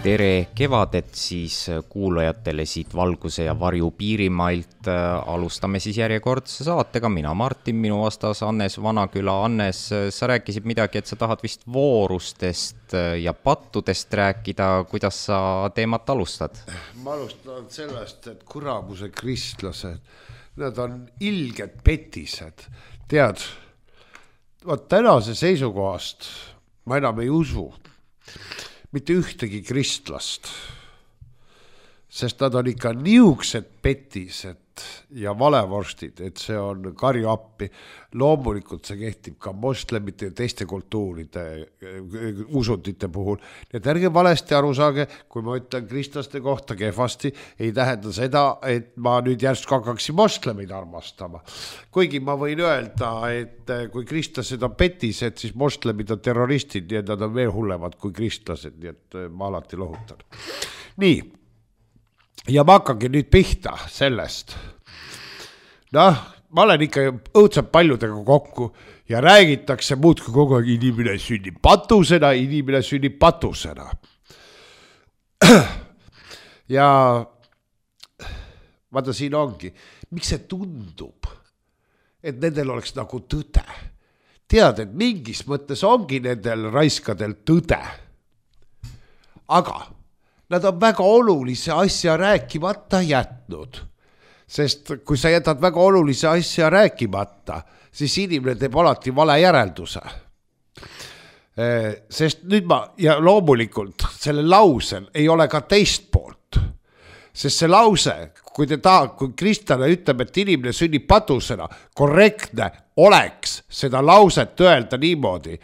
Tere kevadet siis kuulajatele siit Valguse ja Varju Piirimailt. Alustame siis järjekordse saatega. Mina Martin, minu vastas Annes Vanaküla. Annes, sa rääkisid midagi, et sa tahad vist voorustest ja pattudest rääkida. Kuidas sa teemat alustad? Ma alustan sellest, et kuramuse kristlased, nad on ilged petised. Tead, tänase seisukohast ma enam ei usu mitte ühtegi kristlast, sest nad on ikka niuksed petised ja valevorstid, et see on karju appi. Loomulikult see kehtib ka moslemite ja teiste kultuuride usundite puhul. Nii et ärge valesti aru saage, kui ma ütlen kristlaste kohta kehvasti, ei tähenda seda, et ma nüüd järsku hakkaksin moslemeid armastama. Kuigi ma võin öelda, et kui kristlased on petised, siis moslemid on terroristid, nii et nad on veel hullemad kui kristlased, nii et ma alati lohutan. Nii. Ja ma hakkangi nüüd pihta sellest. Ma olen ikka õudselt paljudega kokku ja räägitakse muudki kogu aeg, inimene sünnib patusena. Ja vaata siin ongi, miks see tundub, et nendel oleks nagu tõde. Tead, et mingis mõttes ongi nendel raiskadel tõde. Aga nad on väga olulise asja rääkimata jätnud. Sest kui sa jätad väga olulise asja rääkimata, siis inimene teeb alati vale järelduse. Sest nüüd ja loomulikult selle lausel ei ole ka teist poolt. Sest see lause, kui kristlane ütleb, et inimene sünnib patusena, korrektne oleks seda lauset öelda niimoodi.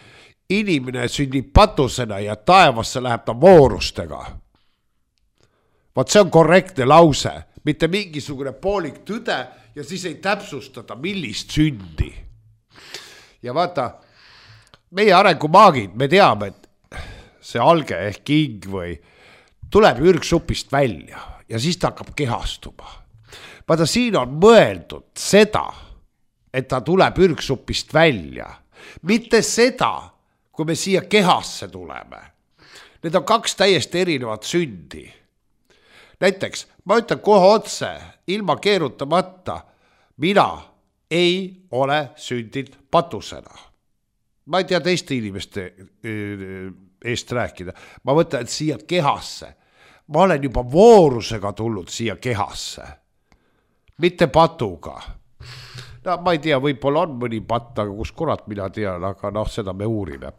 Inimene sünnib patusena ja taevasse läheb ta voorustega. Vaat see on korrektne lause, mitte mingisugune poolik tõde ja siis ei täpsustada, millist sündi. Ja vaata, meie arengumaagid, me teame, et see alge ehk king või tuleb ürgsupist välja ja siis ta hakkab kehastuma. Vaata, siin on mõeldud seda, et ta tuleb ürgsupist välja. Mitte seda, kui me siia kehasse tuleme. Need on kaks täiesti erinevat sündi. Näiteks, ma ütlen kohe otse, ilma keerutamata, mina ei ole sündinud patusena. Ma ei tea teiste inimeste eest rääkida. Ma mõtlen, et siia kehasse. Ma olen juba voorusega tulnud siia kehasse. Mitte patuga. Ma ei tea, võib-olla on mõni patt, aga kus kurat mina tean, aga seda me uurime.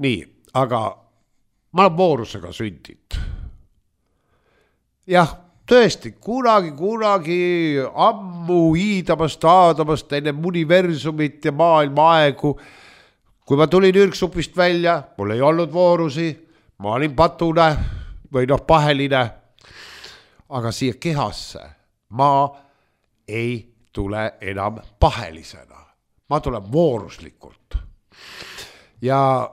Nii, aga ma olen voorusega sündinud. Jah, tõesti, kunagi ammu hiidamast enne universumit ja maailma aegu. Kui ma tulin ürgsupist välja, mul ei olnud voorusi, ma olin patune või paheline. Aga siia kehasse ma ei tule enam pahelisena. Ma tulen vooruslikult. Ja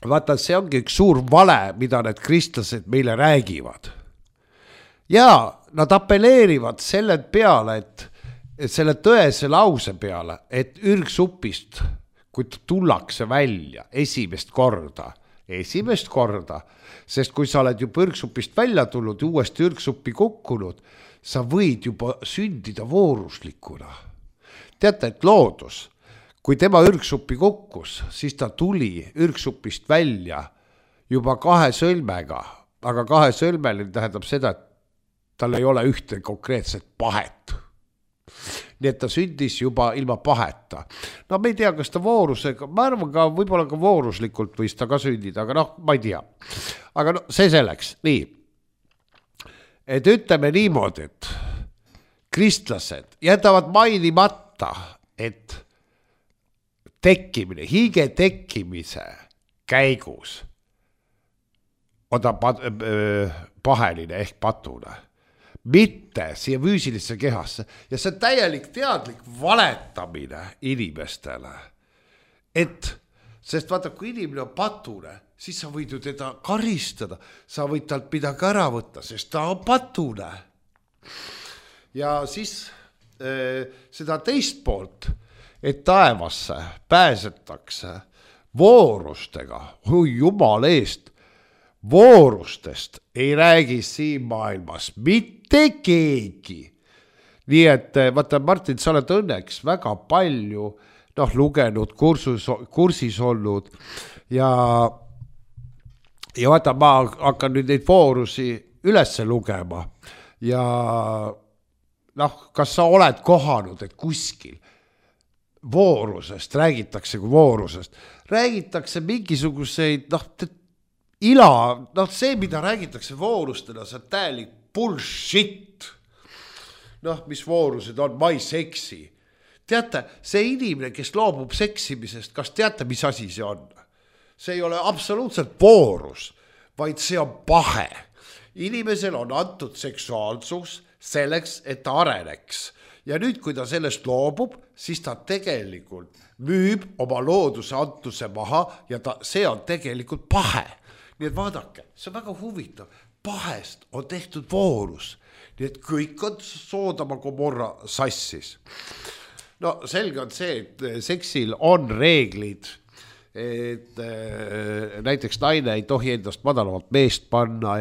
vaata, see ongi üks suur vale, mida need kristlased meile räägivad. Ja nad appelleerivad selle peale, et selle tõese lause peale, et ürgsupist, kui tullakse välja esimest korda, sest kui sa oled juba ürgsupist välja tulnud ja uuesti ürgsuppi kukkunud, sa võid juba sündida vooruslikuna. Teate, et loodus, kui tema ürgsuppi kukkus, siis ta tuli ürgsupist välja juba 2 sõlmega, aga 2 sõlmel tähendab seda, et tal ei ole ühte konkreetset pahet. Nii et ta sündis juba ilma paheta. Me ei tea, kas ta voorusega, ma arvan ka, võib-olla ka vooruslikult võis ta ka sündida, aga ma ei tea. Aga see selleks, nii. Et ütleme niimoodi, et kristlased jätavad mainimata, et hiige tekkimise käigus on ta paheline ehk patune. Mitte siia füüsilisse kehasse. Ja see on täielik teadlik valetamine inimestele. Sest vaata, kui inimene on patune, siis sa võid ju teda karistada. Sa võid talt midagi ära võtta, sest ta on patune. Ja siis seda teist poolt, et taevasse pääsetakse voorustega. Jumal eest. Voorustest ei räägi siin maailmas mitte keegi. Nii et vaata, Martin, sa oled õnneks väga palju lugenud, kursis olnud ja vaata, ma hakkan nüüd neid voorusi ülesse lugema ja kas sa oled kohanud, et kuskil voorusest räägitakse kui voorusest, räägitakse mingisuguseid see, mida räägitakse voorustena, see on täielik bullshit. Mis voorused on, ma ei seksi. Teate, see inimene, kes loobub seksimisest, kas teate, mis asi see on? See ei ole absoluutselt voorus, vaid see on pahe. Inimesel on antud seksuaalsus selleks, et ta areneks. Ja nüüd, kui ta sellest loobub, siis ta tegelikult müüb oma looduse antuse maha ja see on tegelikult pahe. Nii et vaadake, see on väga huvitav. Pahest on tehtud voorus. Nii et kõik on Soodoma Gomorra sassis. Selge on see, et seksil on reeglid, et näiteks naine ei tohi endast madalamalt meest panna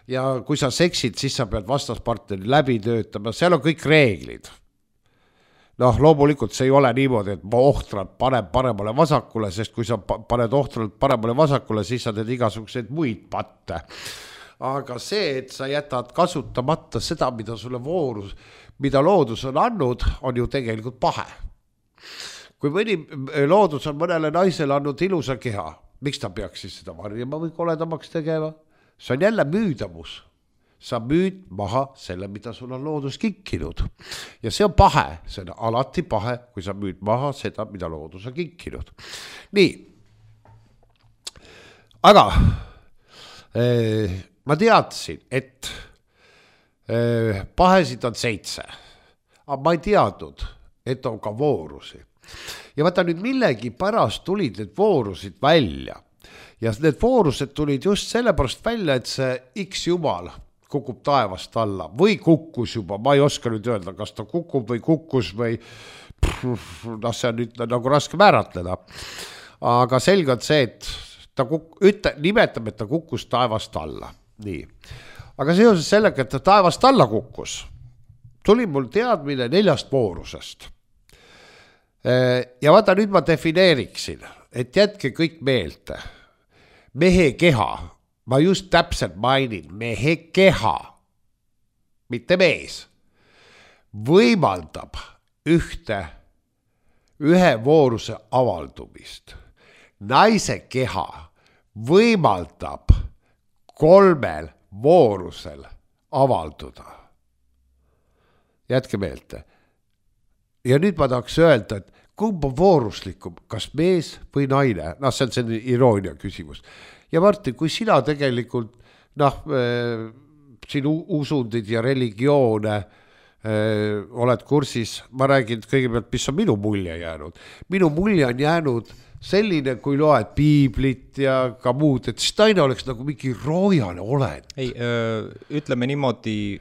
ja kui sa seksid, siis sa pead vastaspartneri läbi töötama, seal on kõik reeglid. Loomulikult see ei ole niimoodi, et ma ohtralt panen paremale vasakule, sest kui sa paned ohtralt paremale vasakule, siis sa teed igasuguseid muid patte. Aga see, et sa jätad kasutamata seda, mida sulle voorus, mida loodus on andnud, on ju tegelikult pahe. Kui mõni loodus on mõnele naisele andnud ilusa keha, miks ta peaks siis seda varjama või koledamaks tegema? See on jälle müüdavus. Sa müüd maha selle, mida sul on loodus kinkinud. Ja see on pahe, see on alati pahe, kui sa müüd maha seda, mida loodus on kinkinud. Nii, aga ma teadsin, et pahesid on 7, aga ma ei teadnud, et on ka voorusi. Ja vaata nüüd millegi pärast tulid need voorusid välja. Ja need voorused tulid just sellepärast välja, et see X jumal kukub taevast alla või kukkus juba, ma ei oska nüüd öelda, kas ta kukub või kukkus või see on nüüd nagu raske määratleda. Aga selge on see, et ta nimetab, et ta kukkus taevast alla. Nii. Aga seoses sellega, et ta taevast alla kukkus, tuli mul teadmine 4 voorusest. Ja vaata nüüd ma defineeriksin, et jätke kõik meelde. Mehe keha, ma just täpselt mainin, mehe keha, mitte mees, võimaldab ühe vooruse avaldumist. Naise keha võimaldab 3 voorusel avalduda. Jätke meelde. Ja nüüd ma tahaks öelda, et kumb on vooruslikum, kas mees või naine? See on selline iroonia küsimus. Ja Martin, kui sina tegelikult, sinu usundid ja religioone oled kursis, ma räägin kõigepealt, mis on minu mulje jäänud. Minu mulje on jäänud selline, kui loed piiblit ja ka muud, et siis naine oleks nagu mingi roojane olend. Ei, ütleme niimoodi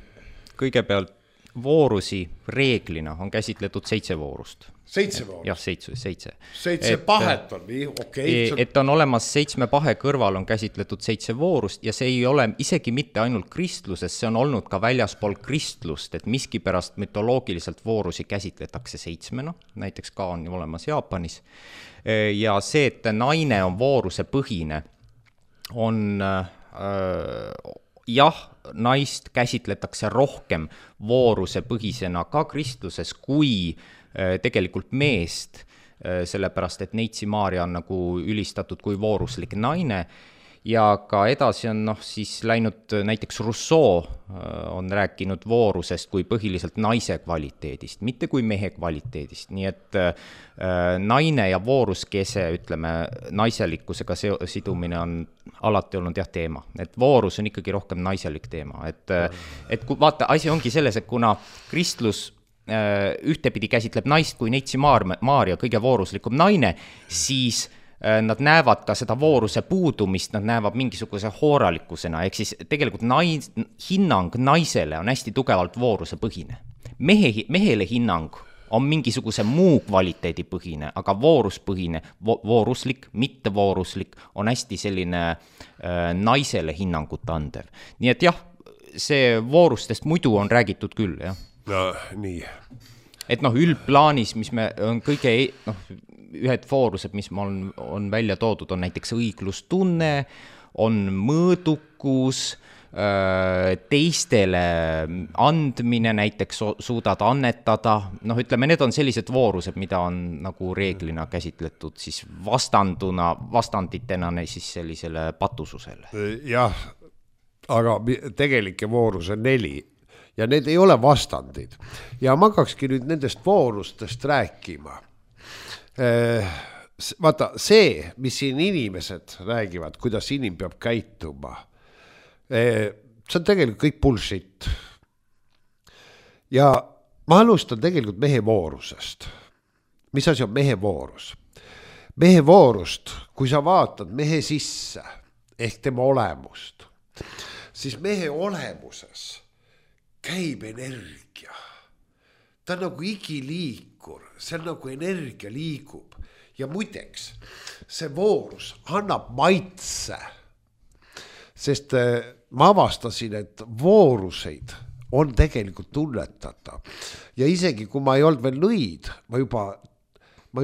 kõigepealt voorusi reeglina on käsitletud 7 voorust. 7 voorust? Jah, 7. 7 pahet on nii, okei. Et on olemas 7 pahe kõrval on käsitletud 7 voorust ja see ei ole isegi mitte ainult kristluses, see on olnud ka väljaspool kristlust, et miskipärast mütoloogiliselt voorusi käsitletakse 7, näiteks ka on olemas Jaapanis. Ja see, et naine on vooruse põhine, on jah, naist käsitletakse rohkem vooruse põhisena ka kristluses kui tegelikult meest, sellepärast et Neitsi Maarja on nagu ülistatud kui vooruslik naine ja ka edasi on siis läinud näiteks Rousseau on rääkinud voorusest kui põhiliselt naise kvaliteedist, mitte kui mehe kvaliteedist, nii et naine ja vooruskese, ütleme, naiselikkusega sidumine on alati olnud teema, et voorus on ikkagi rohkem naiselik teema, et kui vaata, asi ongi selles, et kuna kristlus ühtepidi käsitleb naist kui Neitsi Maarja kõige vooruslikum naine, siis nad näevad ka seda vooruse puudumist, nad näevad mingisuguse hooralikkusena, ehk siis tegelikult hinnang naisele on hästi tugevalt vooruse põhine. Mehele hinnang on mingisuguse muu kvaliteedipõhine, aga vooruspõhine, vooruslik, mittevooruslik on hästi selline naisele hinnangut andev. Nii et jah, see voorustest muidu on räägitud küll, jah. No nii. Et üldplaanis, mis me on kõige, ühed voorused, mis on välja toodud, on näiteks õiglustunne, on mõõdukus, teistele andmine, näiteks suudad annetada, ütleme, need on sellised voorused, mida on nagu reeglina käsitletud siis vastanditena siis sellisele patususele. Jah, aga tegelike voorus on 4 ja need ei ole vastandid. Ja ma hakkakski nüüd nendest voorustest rääkima. Vaata, see, mis siin inimesed räägivad, kuidas inim peab käituma, see on tegelikult kõik bullshit. Ja ma alustan tegelikult mehe voorusest. Mis asi on mehe voorus? Mehe voorust, kui sa vaatad mehe sisse ehk tema olemust, siis mehe olemuses käib energia. Ta on nagu igiliikur, see on nagu energia liigub. Ja muideks, see voorus annab maitse, sest ma avastasin, et vooruseid on tegelikult tunnetada. Ja isegi kui ma ei olnud veel nõid, ma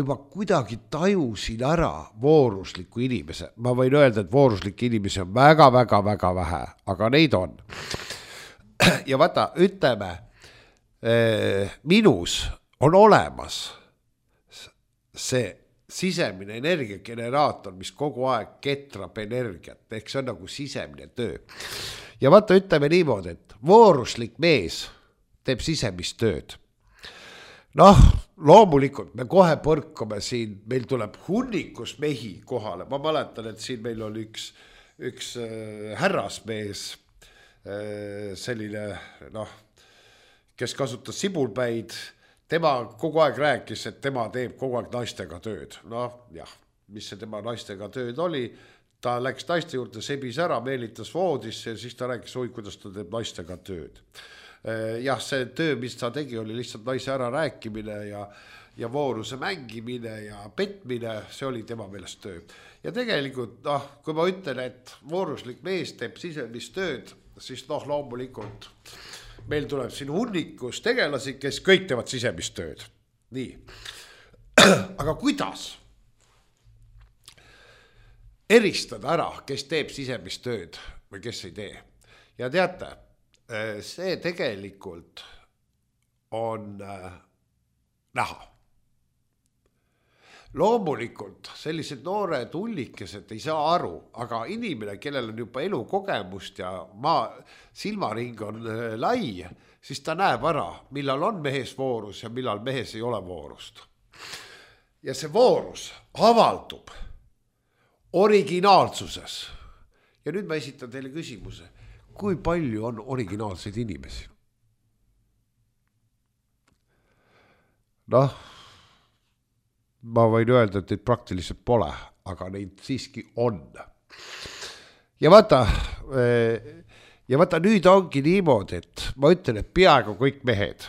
juba kuidagi tajusin ära voorusliku inimese. Ma võin öelda, et vooruslikke inimesi on väga vähe, aga neid on. Ja vaata, ütleme, minus on olemas see sisemine energiageneraator, mis kogu aeg ketrab energiat, ehk see on nagu sisemine töö. Ja vaata, ütleme niimoodi, et vooruslik mees teeb sisemist tööd. Loomulikult me kohe põrkame siin, meil tuleb hunnikus mehi kohale. Ma mäletan, et siin meil oli üks härrasmees, selline, kes kasutas sibulpäid. Tema kogu aeg rääkis, et tema teeb kogu aeg naistega tööd. Jah, mis see tema naistega tööd oli. Ta läks naiste juurde, sebis ära, meelitas voodisse ja siis ta rääkis, kuidas ta teeb naistega tööd. Jah, see töö, mis ta tegi, oli lihtsalt naise ära rääkimine ja vooruse mängimine ja petmine, see oli tema meelest töö. Ja tegelikult, kui ma ütlen, et vooruslik mees teeb sisemist tööd, siis loomulikult meil tuleb siin hunnikus tegelasi, kes kõik teevad sisemist tööd. Nii. Aga kuidas eristada ära, kes teeb sisemist tööd või kes ei tee? Ja teate, see tegelikult on näha. Loomulikult sellised noored hullikesed ei saa aru, aga inimene, kellel on juba elukogemust ja silmaring on lai, siis ta näeb ära, millal on mehes voorus ja millal mehes ei ole voorust. Ja see voorus avaldub originaalsuses. Ja nüüd ma esitan teile küsimuse, kui palju on originaalseid inimesi? Ma võin öelda, et neid praktiliselt pole, aga neid siiski on. Ja vaata, nüüd ongi niimoodi, et ma ütlen, et peaaegu kõik mehed,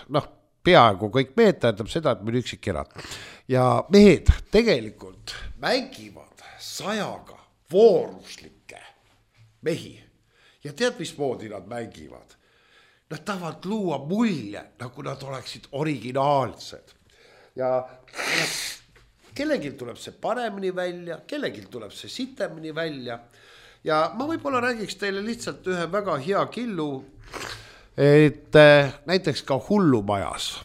tähendab seda, et meil üksik erad. Ja mehed tegelikult mängivad 100 vooruslikke mehi. Ja tead, mismoodi nad mängivad? Nad tahavad luua mulje, nagu nad oleksid originaalsed. Ja kellelgi tuleb see paremini välja, kellelgi tuleb see sitemini välja. Ja ma võib-olla räägiks teile lihtsalt ühe väga hea killu, et näiteks ka hullumajas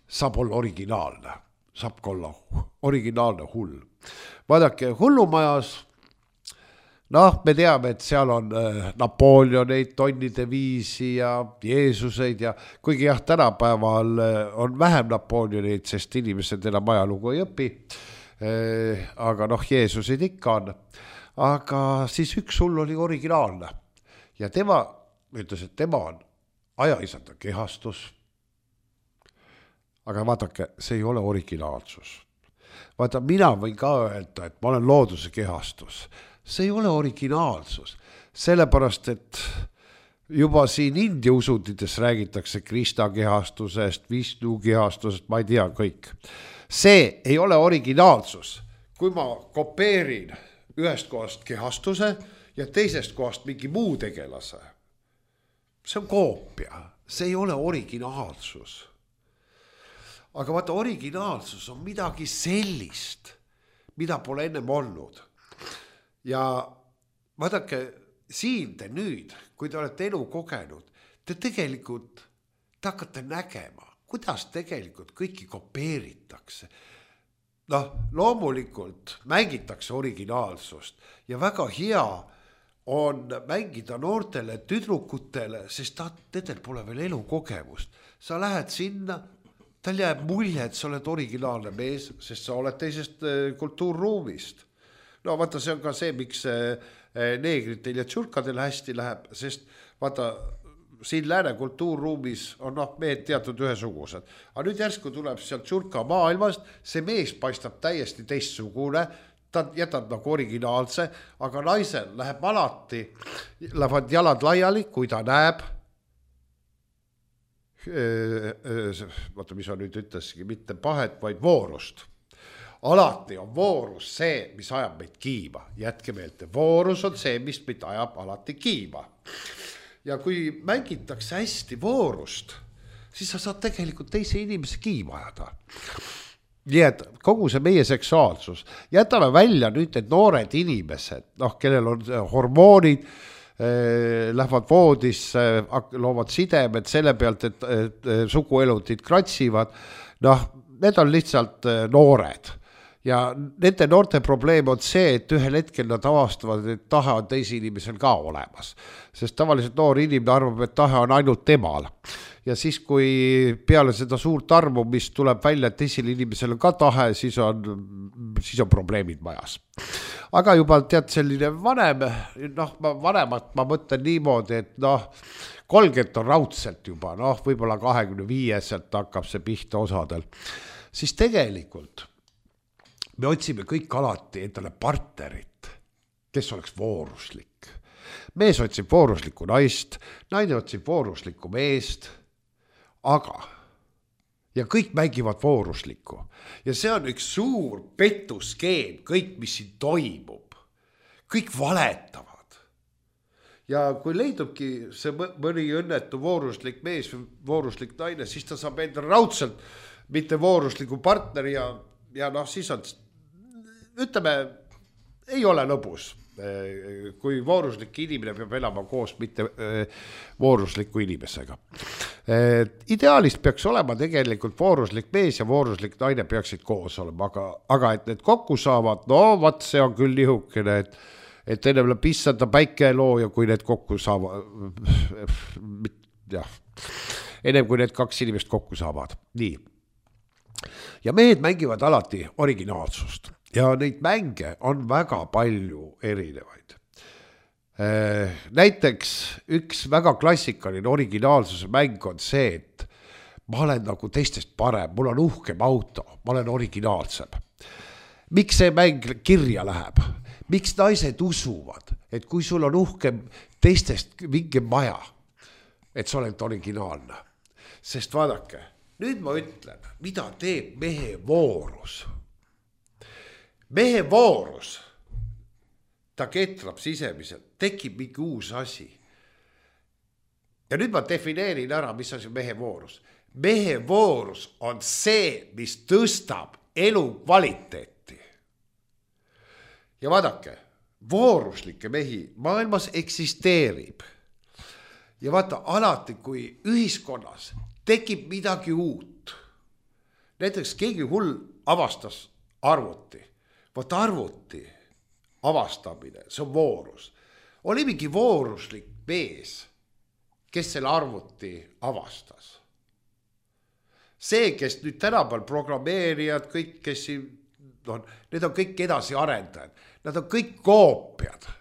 saab olla originaalne, saab ka olla originaalne hull. Vaadake, hullumajas, me teame, et seal on Napoleoneid, tonnide viisi ja Jeesuseid ja kuigi jah, tänapäeval on vähem Napoleoneid, sest inimesed enam ajalugu ei õpi, aga Jeesuseid ikka on. Aga siis üks hull oli originaalne ja tema ütles, et tema on ajaisanda kehastus. Aga vaadake, see ei ole originaalsus. Vaata, mina võin ka öelda, et ma olen looduse kehastus. See ei ole originaalsus, sellepärast, et juba siin India usundites räägitakse Krista kehastusest, Vishnu kehastusest, ma ei tea kõik. See ei ole originaalsus. Kui ma kopeerin ühest kohast kehastuse ja teisest kohast mingi muu tegelase, see on koopia, see ei ole originaalsus. Aga vaata, originaalsus on midagi sellist, mida pole ennem olnud. Ja vaadake, siin te nüüd, kui te olete elu kogenud, te tegelikult te hakkate nägema, kuidas tegelikult kõiki kopeeritakse. Noh, loomulikult mängitakse originaalsust ja väga hea on mängida noortele tüdrukutele, sest nendel pole veel elukogemust. Sa lähed sinna, tal jääb mulje, et sa oled originaalne mees, sest sa oled teisest kultuurruumist. No vaata, see on ka see, miks neegritel ja tšurkadel hästi läheb, sest vaata, siin lääne kultuurruumis on mehed teatud ühesugused. Aga nüüd järsku tuleb sealt tšurka maailmast, see mees paistab täiesti teistsugune, ta jätab nagu originaalse, aga naisel läheb alati, lähevad jalad laiali, kui ta näeb, vaata, mis on nüüd ütleski, mitte pahet, vaid voorust. Alati on voorus see, mis ajab meid kiima. Jätke meelde, voorus on see, mis meid ajab alati kiima. Ja kui mängitakse hästi voorust, siis sa saad tegelikult teise inimese kiima ajada. Nii et kogu see meie seksuaalsus, jätame välja nüüd need noored inimesed, kellel on hormoonid, lähevad voodisse, loovad sidemed selle pealt, et suguelundid kratsivad, need on lihtsalt noored. Ja nende noorte probleem on see, et ühel hetkel nad avastavad, et tahe on teisi inimesel ka olemas. Sest tavaliselt noor inimene arvab, et tahe on ainult temal. Ja siis, kui peale seda suurt armumist tuleb välja, et teisel inimesel on ka tahe, siis on probleemid majas. Aga juba tead selline vanemat ma mõtlen niimoodi, et 30 on raudselt juba, võib-olla 25-selt hakkab see pihta osadel. Siis tegelikult me otsime kõik alati endale partnerit, kes oleks vooruslik. Mees otsib vooruslikku naist, naine otsib vooruslikku meest, aga ja kõik mängivad vooruslikku. Ja see on üks suur petuskeem, kõik, mis siin toimub. Kõik valetavad. Ja kui leidubki see mõni õnnetu vooruslik mees või vooruslik naine, siis ta saab endale raudselt mitte voorusliku partneri ja siis on, ütleme, ei ole lõbus, kui vooruslik inimene peab elama koos mitte voorusliku inimesega. Ideaalist peaks olema tegelikult vooruslik mees ja vooruslik naine peaksid koos olema, aga et need kokku saavad, vaat see on küll nihukene, et ennem läheb pissada päikeloo ja kui need kokku saavad, ennem kui need kaks inimest kokku saavad. Nii. Ja mehed mängivad alati originaalsust. Ja neid mänge on väga palju erinevaid. Näiteks üks väga klassikaline originaalsuse mäng on see, et ma olen nagu teistest parem, mul on uhkem auto, ma olen originaalsem. Miks see mäng kirja läheb? Miks naised usuvad, et kui sul on uhkem teistest mingi maja, et sa oled originaalne? Sest vaadake, nüüd ma ütlen, mida teeb mehe voorus. Mehe voorus, ta ketrab sisemiselt, tekib mingi uus asi. Ja nüüd ma defineerin ära, mis asi mehe voorus. Mehe voorus on see, mis tõstab elu kvaliteeti. Ja vaadake, vooruslikke mehi maailmas eksisteerib. Ja vaata, alati kui ühiskonnas tekib midagi uut. Näiteks keegi hull avastas arvuti. Vaat arvuti avastamine, see on voorus. Oli mingi vooruslik mees, kes selle arvuti avastas. See, kes nüüd tänapäeval programmeerijad, kõik, kes siin, need on kõik edasi arendajad. Nad on kõik koopiad.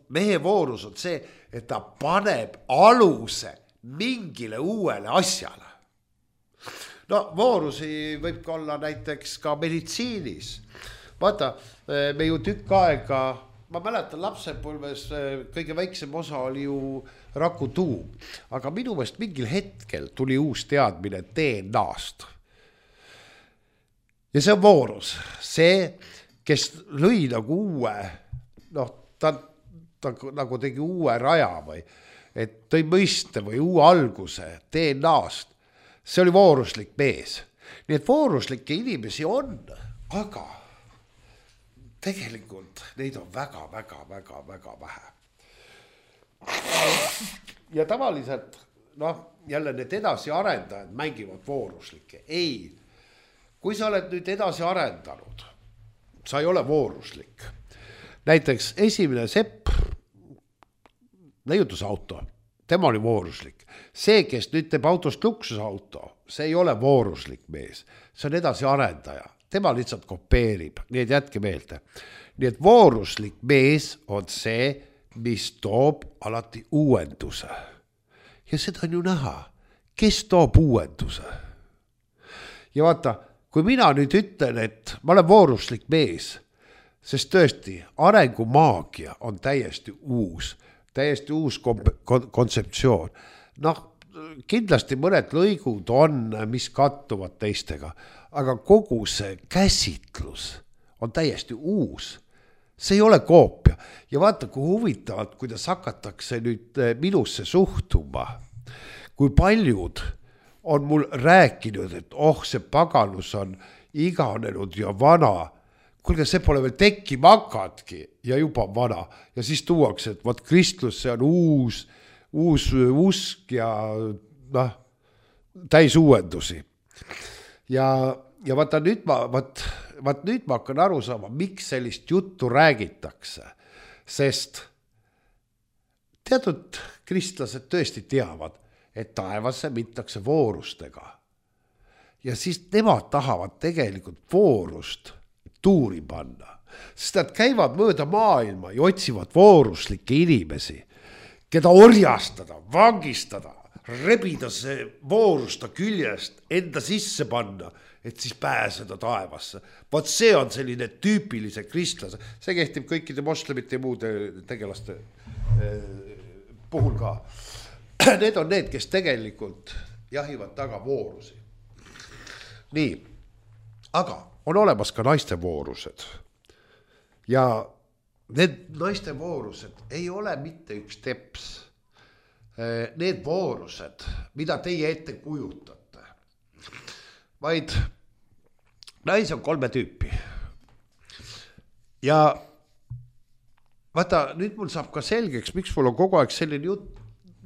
Mehe voorus on see, et ta paneb aluse mingile uuele asjale. Voorusi võib ka olla näiteks ka meditsiinis. Vaata, me ju tükk aega ma mäletan lapsepõlves kõige väiksem osa oli ju rakutuum, aga minu meelest mingil hetkel tuli uus teadmine DNA-st. ja see on voorus, see, kes lõi nagu uue, noh, ta nagu tegi uue raja või, et tõi mõiste või uue alguse DNA-st, see oli vooruslik mees. Nii et vooruslikke inimesi on, aga tegelikult neid on väga vähe. Ja tavaliselt, noh, jälle need edasi arendajad mängivad vooruslikke. Ei, kui sa oled nüüd edasi arendanud, sa ei ole vooruslik. Näiteks esimene Sepp, leiutusauto, tema oli vooruslik. See, kes nüüd teeb autost luksusauto, see ei ole vooruslik mees, see on edasi arendaja. Tema lihtsalt kopeerib, nii et jätke meelde. Nii et vooruslik mees on see, mis toob alati uuenduse. Ja seda on ju näha, kes toob uuenduse. Ja vaata, kui mina nüüd ütlen, et ma olen vooruslik mees, sest tõesti arengumaagia on täiesti uus kontseptsioon. Noh, kindlasti mõned lõigud on, mis kattuvad teistega, aga kogu see käsitlus on täiesti uus. See ei ole koopia. Ja vaata, kui huvitavalt, kuidas hakatakse nüüd minusse suhtuma, kui paljud on mul rääkinud, et see paganus on iganenud ja vana. Kuulge, see pole veel tekkima hakatki ja juba vana. Ja siis tuuakse, et vaat kristlus, see on uus usk ja täis uuendusi. Ja vaata nüüd ma hakkan aru saama, miks sellist juttu räägitakse. Sest teatud kristlased tõesti teavad, et taevasse mintakse voorustega. Ja siis nemad tahavad tegelikult voorust tuuri panna. Sest nad käivad mööda maailma ja otsivad vooruslikke inimesi, keda orjastada, vangistada, rebida see voorusta küljest, enda sisse panna, et siis pääseda taevasse. Vaat see on selline tüüpilise kristlase. See kehtib kõikide moslemite ja muude tegelaste puhul ka. Need on need, kes tegelikult jahivad taga voorusi. Nii, aga on olemas ka naiste voorused. Ja need naiste voorused ei ole mitte üks teps. Need voorused, mida teie ette kujutate, vaid naisi on 3 tüüpi. Ja vaata, nüüd mul saab ka selgeks, miks mul on kogu aeg selline jutt.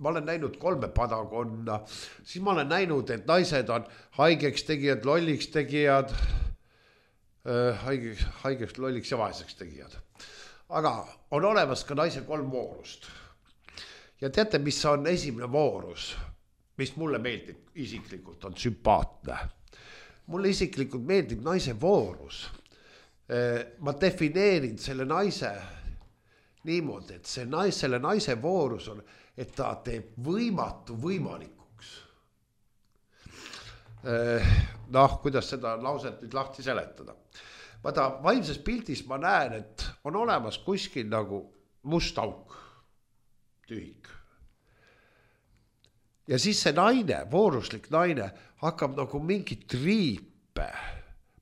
Ma olen näinud 3 padakonna, siis ma olen näinud, et naised on haigeks tegijad, lolliks tegijad, haigeks, lolliks ja vaeseks tegijad. Aga on olemas ka naise 3 voorust. Ja teate, mis on esimene voorus, mis mulle meeldib isiklikult, on sümpaatne. Mulle isiklikult meeldib naise voorus. Ma defineerin selle naise niimoodi, et selle naise voorus on, et ta teeb võimatu võimalikuks. Kuidas seda lauset nüüd lahti seletada. Vaata, vaimses pildis ma näen, et on olemas kuskil nagu must auk, tühik. Ja siis see naine, vooruslik naine, hakkab nagu mingi triipe.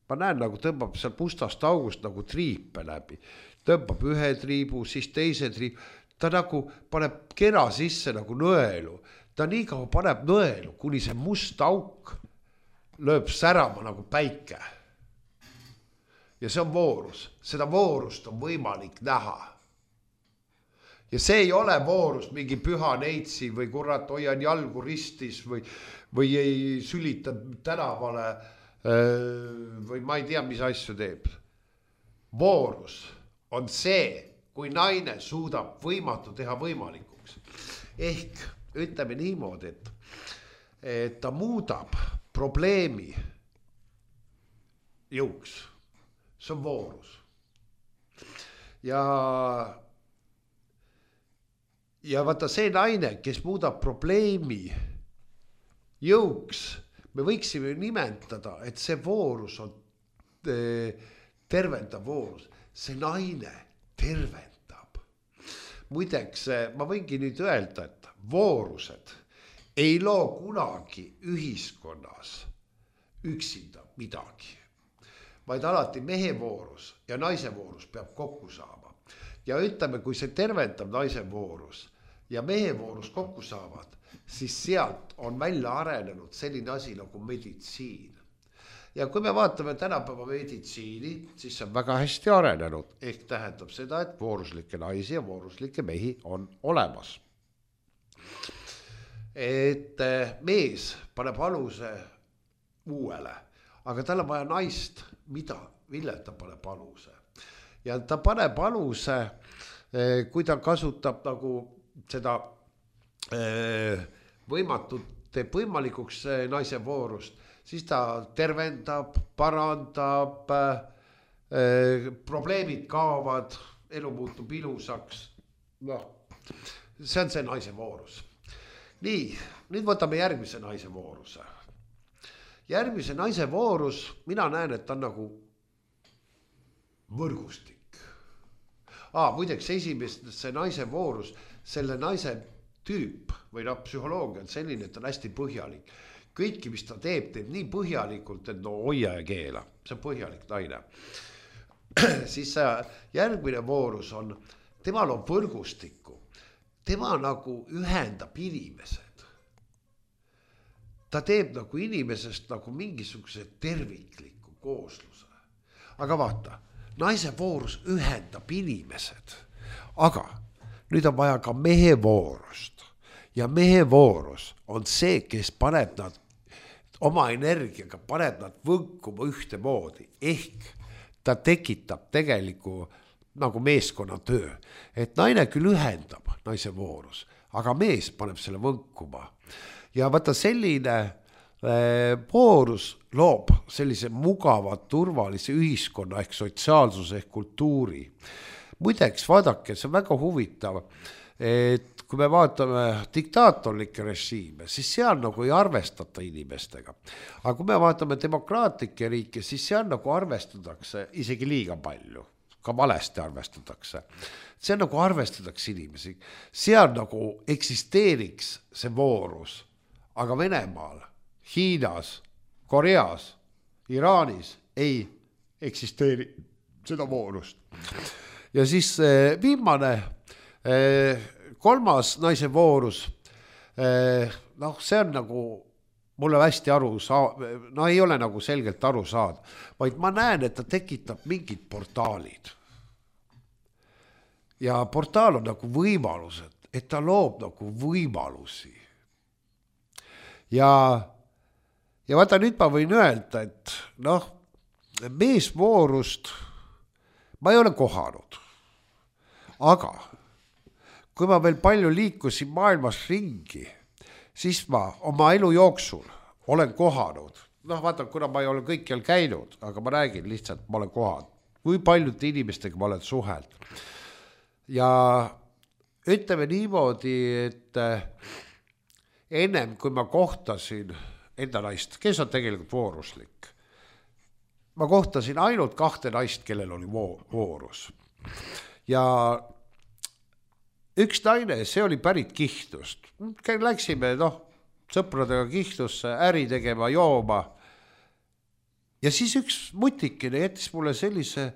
Ma näen, nagu tõmbab seal mustast august nagu triipe läbi. Tõmbab ühe triibu, siis teise triibu. Ta nagu paneb kera sisse nagu nõelu. Ta nii kaua paneb nõelu, kuni see must auk lööb särama nagu päike. Ja see on voorus. Seda voorust on võimalik näha. Ja see ei ole voorus mingi püha neitsi või kurat hoian jalgu ristis või ei sülita tänavale või ma ei tea, mis asju teeb. Voorus on see, kui naine suudab võimatu teha võimalikuks. Ehk ütleme niimoodi, et ta muudab probleemi jõuks. See on voorus. Ja vaata see naine, kes muudab probleemi jõuks, me võiksime nimetada, et see voorus on tervendav voorus. See naine tervendab. muideks ma võingi nüüd öelda, et voorused ei loo kunagi ühiskonnas üksinda midagi, vaid alati mehe voorus ja naise voorus peab kokku saama. Ja ütleme, kui see tervendab naise voorus ja mehe voorus kokku saavad, siis sealt on välja arenenud selline asi nagu meditsiin. Ja kui me vaatame tänapäeva meditsiini, siis see on väga hästi arenenud. Ehk tähendab seda, et vooruslikke naisi ja vooruslikke mehi on olemas. Et mees paneb aluse uuele, aga tal on vaja naist, mille ta paneb aluse. Ja ta paneb aluse, kui ta kasutab nagu seda võimatut teeb võimalikuks naise voorust, siis ta tervendab, parandab, probleemid kaovad, elu muutub ilusaks. No, see on see naise voorus. Nii, nüüd võtame järgmise naise vooruse. Järgmise naise voorus, mina näen, et ta on nagu võrgustik. Muideks esimest see naise voorus, selle naise tüüp või psühholoogia on selline, et ta on hästi põhjalik. Kõiki, mis ta teeb nii põhjalikult, et hoia ja keela. See on põhjalik naine. Siis järgmine voorus on, temal on võrgustikku. Tema nagu ühendab inimesed. Ta teeb nagu inimesest nagu mingisuguse tervikliku koosluse. Aga vaata, naise voorus ühendab inimesed. Aga nüüd on vaja ka mehe voorust. Ja mehe voorus on see, kes paneb nad oma energiaga, paneb nad võnkuma ühte moodi. Ehk ta tekitab tegeliku nagu meeskonna töö. Et naine küll ühendab naise voorus, aga mees paneb selle võnkuma. Ja vaata selline voorus loob sellise mugava, turvalise ühiskonna ehk sotsiaalsuse ehk kultuuri. Muideks, vaadake, see on väga huvitav, et kui me vaatame diktaatorlikke režiime, siis seal nagu ei arvestata inimestega. Aga kui me vaatame demokraatlikke riike, siis seal nagu arvestatakse isegi liiga palju. Ka valesti arvestatakse. See nagu arvestatakse inimesi. Seal nagu eksisteeriks see voorus, aga Venemaal, Hiinas, Koreas, Iraanis ei eksisteeri seda voorust. Ja siis viimane, kolmas naise voorus, see on nagu mulle hästi aru ei ole nagu selgelt aru saada, vaid ma näen, et ta tekitab mingid portaalid. Ja portaal on nagu võimalused, et ta loob nagu võimalusi. Ja vaata nüüd ma võin öelda, et meesvoorust ma ei ole kohanud. Aga kui ma veel palju liikusin maailmas ringi, siis ma oma elu jooksul olen kohanud. Vaata, kuna ma ei ole kõikjal käinud, aga ma räägin lihtsalt, ma olen kohanud. Kui paljud inimestega ma olen suheld. Ja ütleme niimoodi, et ennem kui ma kohtasin enda naist, kes on tegelikult vooruslik, ma kohtasin ainult 2 naist, kellel oli voorus. Ja üks naine, see oli pärit Kihtust. Läksime sõpradega Kihtusse äri tegema, jooma. Ja siis üks mutikene jättis mulle sellise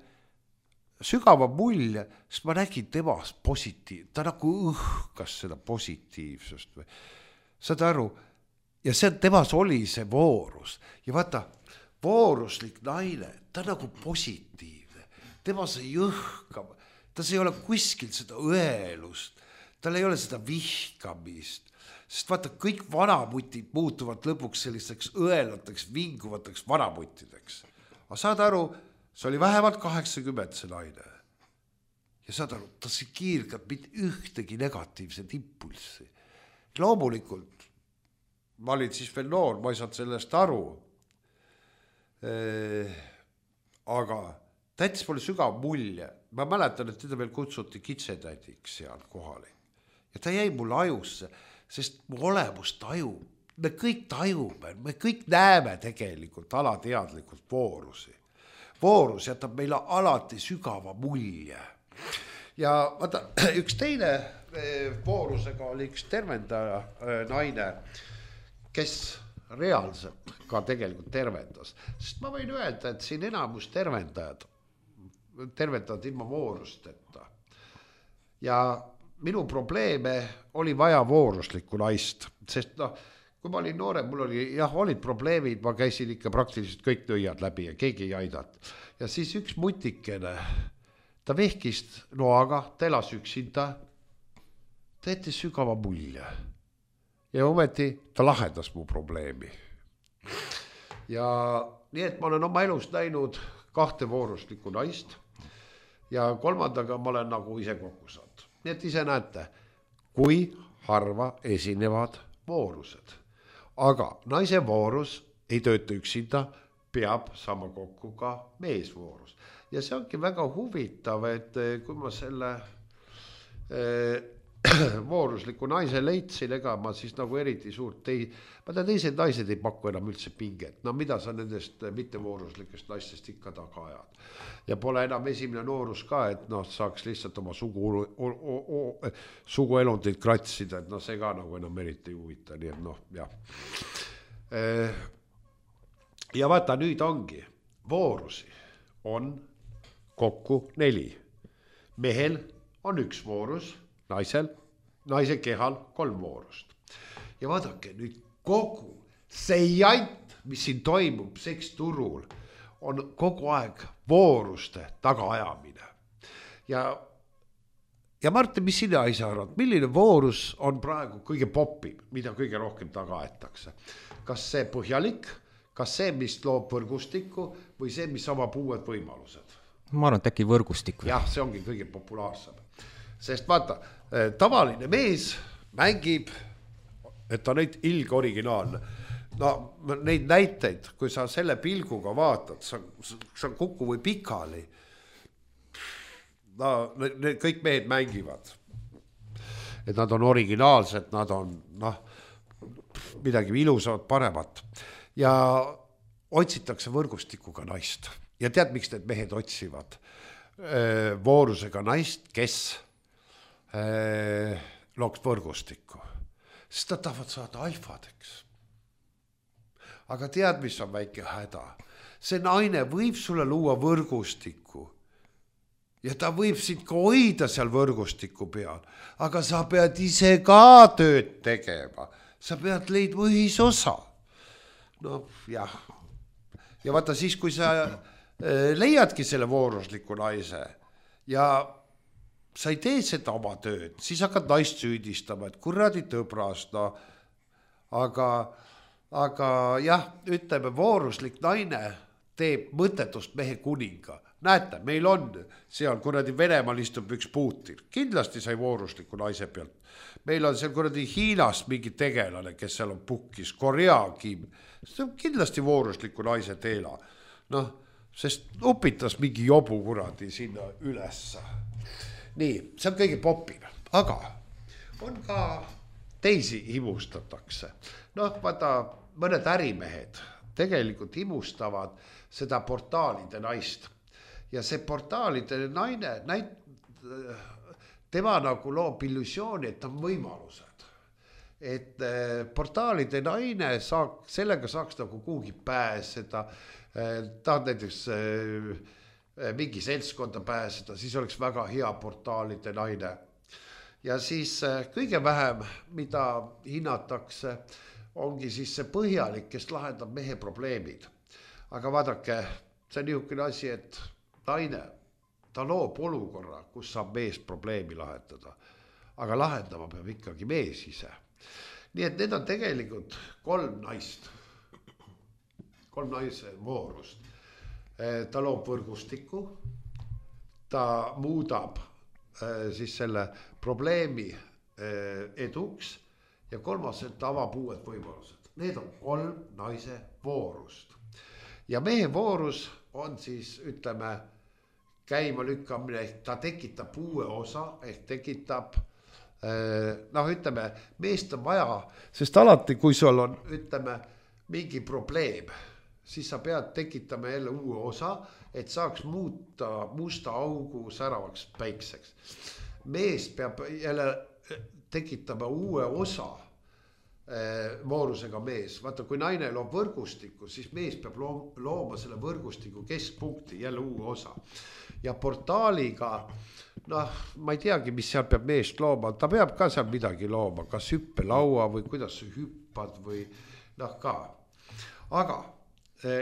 sügava mulje, sest ma nägin temas positiivsust. Ta nagu õhkas seda positiivsust. Saad aru? Ja see temas oli see voorus. Ja vaata, vooruslik naine, ta nagu positiivne. Temas ei õhka. Tas ei ole kuskil seda õelust, tal ei ole seda vihkamist, sest vaata, kõik vanamutid muutuvad lõpuks sellisteks õelateks, vinguvateks vanamutideks. Aga saad aru, see oli vähemalt 80 see naine. Ja saad aru, ta see kiirgab mitte ühtegi negatiivset impulssi. Loomulikult, ma olin siis veel noor, ma ei saanud sellest aru. Aga ta jättis mulle sügav mulje. Ma mäletan, et teda veel kutsuti kitsetädiks seal kohale. Ja ta jäi mulle ajusse, sest mu olemus tajub. Me kõik tajume, me kõik näeme tegelikult alateadlikult voorusi. Voorus jätab meile alati sügava mulje. ja vaata, üks teine voorusega oli üks tervendaja naine, kes reaalselt ka tegelikult tervendas, sest ma võin öelda, et siin enamus tervendavad ilma voorusteta. Ja minu probleeme oli vaja vooruslikku naist, sest kui ma olin noorem, mul oli, olid probleemid, ma käisin ikka praktiliselt kõik nõiad läbi ja keegi ei aidanud. Ja siis üks mutikene, ta vehkist noaga, ta elas üksinda, ta jättis sügava mulje. Ja ometi ta lahendas mu probleemi. Ja nii, et ma olen oma elus näinud 2 vooruslikku naist ja 3. ma olen nagu ise kokku saanud. Nii, et ise näete, kui harva esinevad voorused. Aga naise voorus ei tööta üksinda, peab saama kokku ka meesvoorus. Ja see ongi väga huvitav, et kui ma selle voorusliku naise leidsin, ega ma siis nagu eriti suurt teised naised ei paku enam üldse pinget. No mida sa nendest mittevooruslikest naistest ikka taga ajad. Ja pole enam esimene noorus ka, et saaks lihtsalt oma suguelundid kratsida, et see ka nagu enam eriti huvita, nii et jah. Ja vaata, nüüd ongi, voorusi on kokku 4. Mehel on 1 voorus, naise kehal 3 voorust. Ja vaadake, nüüd kogu see jant, mis siin toimub seksturul, on kogu aeg vooruste tagaajamine. Ja Martin, mis sina ise arvad, milline voorus on praegu kõige popim, mida kõige rohkem taga aetakse? Kas see põhjalik, kas see, mis loob võrgustikku või see, mis avab uued võimalused? Ma arvan, et äkki võrgustikku. Jah, see ongi kõige populaarsem. Sest vaata, tavaline mees mängib, et ta neid ilg originaalne. Neid näiteid, kui sa selle pilguga vaatad, sa kuku või pikali. Kõik mehed mängivad. Et nad on originaalsed, nad on midagi ilusavad, paremat. Ja otsitakse võrgustikuga naist. Ja tead, miks need mehed otsivad voorusega naist, kes looks võrgustikku? Sest nad tahavad saada alfadeks. Aga tead, mis on väike häda? See naine võib sulle luua võrgustikku ja ta võib sind ka hoida seal võrgustiku peal, aga sa pead ise ka tööd tegema. Sa pead leidma ühisosa. Jah. Ja vaata siis, kui sa leiadki selle voorusliku naise ja sa ei tee seda oma tööd, siis hakkad naist süüdistama, et kuradi tõbras, aga jah, ütleme, vooruslik naine teeb mõttetust mehe kuninga. Näete, meil on seal kuradi Venemaal istub üks Putin, kindlasti sai voorusliku naise pealt. Meil on seal kuradi Hiinas mingi tegelane, kes seal on pukkis, Korea Kim, see on kindlasti voorusliku naise teela. Sest upitas mingi jobu kuradi sinna ülesse. Nii, see on kõige popim, aga on ka teisi imustatakse. Vaata, mõned ärimehed tegelikult imustavad seda portaalide naist. Ja see portaalide naine, tema nagu loob illusiooni, et on võimalused. Et portaalide naine sellega saaks nagu kuhugi pääseda, ta on näiteks mingi seltskonda pääseda, siis oleks väga hea portaalide naine. Ja siis kõige vähem, mida hinnatakse, ongi siis see põhjalik, kes lahendab mehe probleemid. Aga vaadake, see on niisugune asi, et naine, ta loob olukorra, kus saab mees probleemi lahendada. Aga lahendama peab ikkagi mees ise. Nii et need on tegelikult 3 naist. 3 naise voorust. Ta loob võrgustiku, ta muudab siis selle probleemi eduks ja 3. ta avab uued võimalused. Need on 3 naise voorust. Ja mehe voorus on siis, ütleme, käima lükkamine, ta tekitab uue osa, ehk tekitab, ütleme, meest on vaja, sest alati, kui sul on, ütleme, mingi probleem, siis sa pead tekitama jälle uue osa, et saaks muuta musta augu säravaks päikseks. Mees peab jälle tekitama uue osa voorusega mees. Vaata, kui naine loob võrgustiku, siis mees peab looma selle võrgustiku keskpunkti, jälle uue osa. Ja portaaliga, noh, ma ei teagi, mis seal peab meest looma, ta peab ka seal midagi looma, kas hüppelaua või kuidas sa hüppad või noh ka. Aga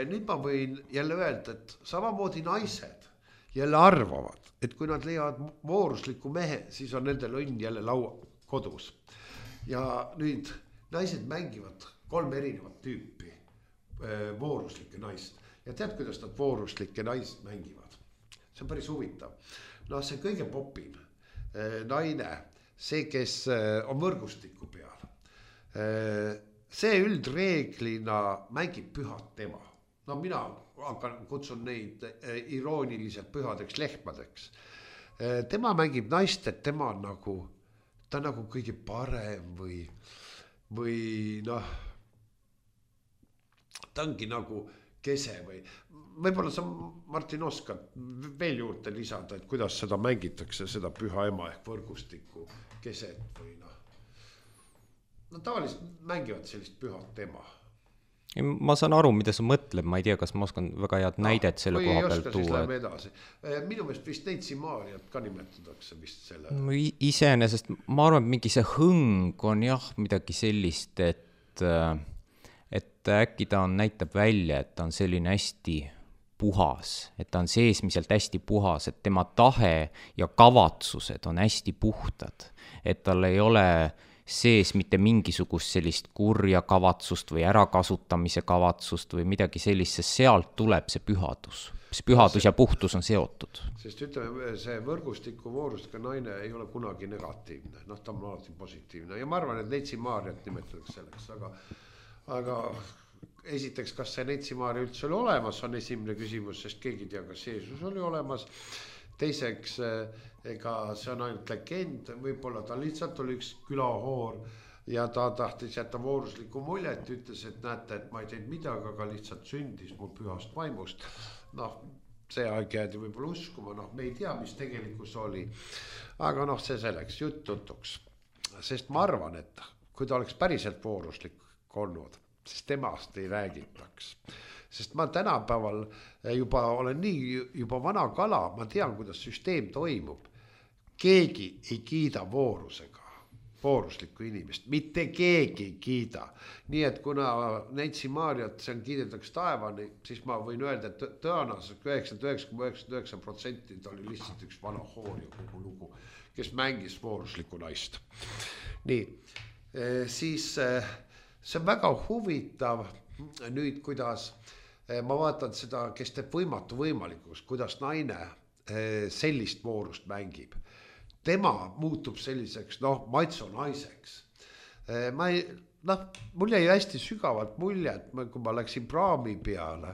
nüüd ma võin jälle öelda, et samamoodi naised jälle arvavad, et kui nad leiavad voorusliku mehe, siis on nendel õnn jälle laua kodus. Ja nüüd naised mängivad 3 erinevat tüüpi vooruslikke naist. Ja tead, kuidas nad vooruslikke naist mängivad? See on päris huvitav. No see kõige popim naine, see, kes on võrgustiku peal. See üldreeglina mängib pühad tema. No mina kutsun neid irooniliselt pühadeks lehmadeks. Tema mängib naist, et tema on nagu, ta on nagu kõige parem või noh, ta ongi nagu kese või võib-olla sa, Martin, oskad veel juurde lisada, et kuidas seda mängitakse, seda püha ema ehk võrgustiku keset või noh. No tavaliselt mängivad sellist pühat ema. Ma saan aru, mida sa mõtled, ma ei tea, kas ma oskan väga head näidet selle koha peal tuua. Minu meelest vist Neitsi Maariat ka nimetatakse vist selle. Iseenesest ma arvan, et mingi see hõng on jah midagi sellist, et äkki ta näitab välja, et ta on selline hästi puhas, et ta on seesmiselt hästi puhas, et tema tahe ja kavatsused on hästi puhtad, et tal ei ole sees mitte mingisugust sellist kurja kavatsust või ärakasutamise kavatsust või midagi sellist, sest sealt tuleb see pühadus. See pühadus ja puhtus on seotud. Sest ütleme, see võrgustiku voorustega naine ei ole kunagi negatiivne, noh ta on alati positiivne ja ma arvan, et Neitsi Maariat nimetatakse selleks, aga esiteks, kas see Neitsi Maaria üldse oli olemas, on esimene küsimus, sest keegi tea, kas Jeesus oli olemas. Teiseks, ega see on ainult legend, võib-olla ta lihtsalt oli üks külahoor ja ta tahtis jätta voorusliku muljet, ütles, et näete, et ma ei teinud midagi, aga lihtsalt sündis mul pühast vaimust. Noh, see aeg jäädi võib-olla uskuma, noh, me ei tea, mis tegelikus oli, aga noh, see selleks jutuks, sest ma arvan, et kui ta oleks päriselt vooruslik olnud, siis temast ei räägitaks. Sest ma tänapäeval juba olen juba vana kala, ma tean, kuidas süsteem toimub. Keegi ei kiida voorusega, vooruslikku inimest, mitte keegi ei kiida. Nii et kuna Neitsi Maariat see on kiidetaks taevani, siis ma võin öelda, et tõenäoliselt 99,99% ta oli lihtsalt üks vana hoor ja kogu lugu, kes mängis vooruslikku naist. Nii, siis see on väga huvitav nüüd, kuidas ma vaatan seda, kes teeb võimatu võimalikuks, kuidas naine sellist voorust mängib. Tema muutub selliseks, noh, maitso naiseks. Mul jäi hästi sügavalt mulje, et kui ma läksin praami peale,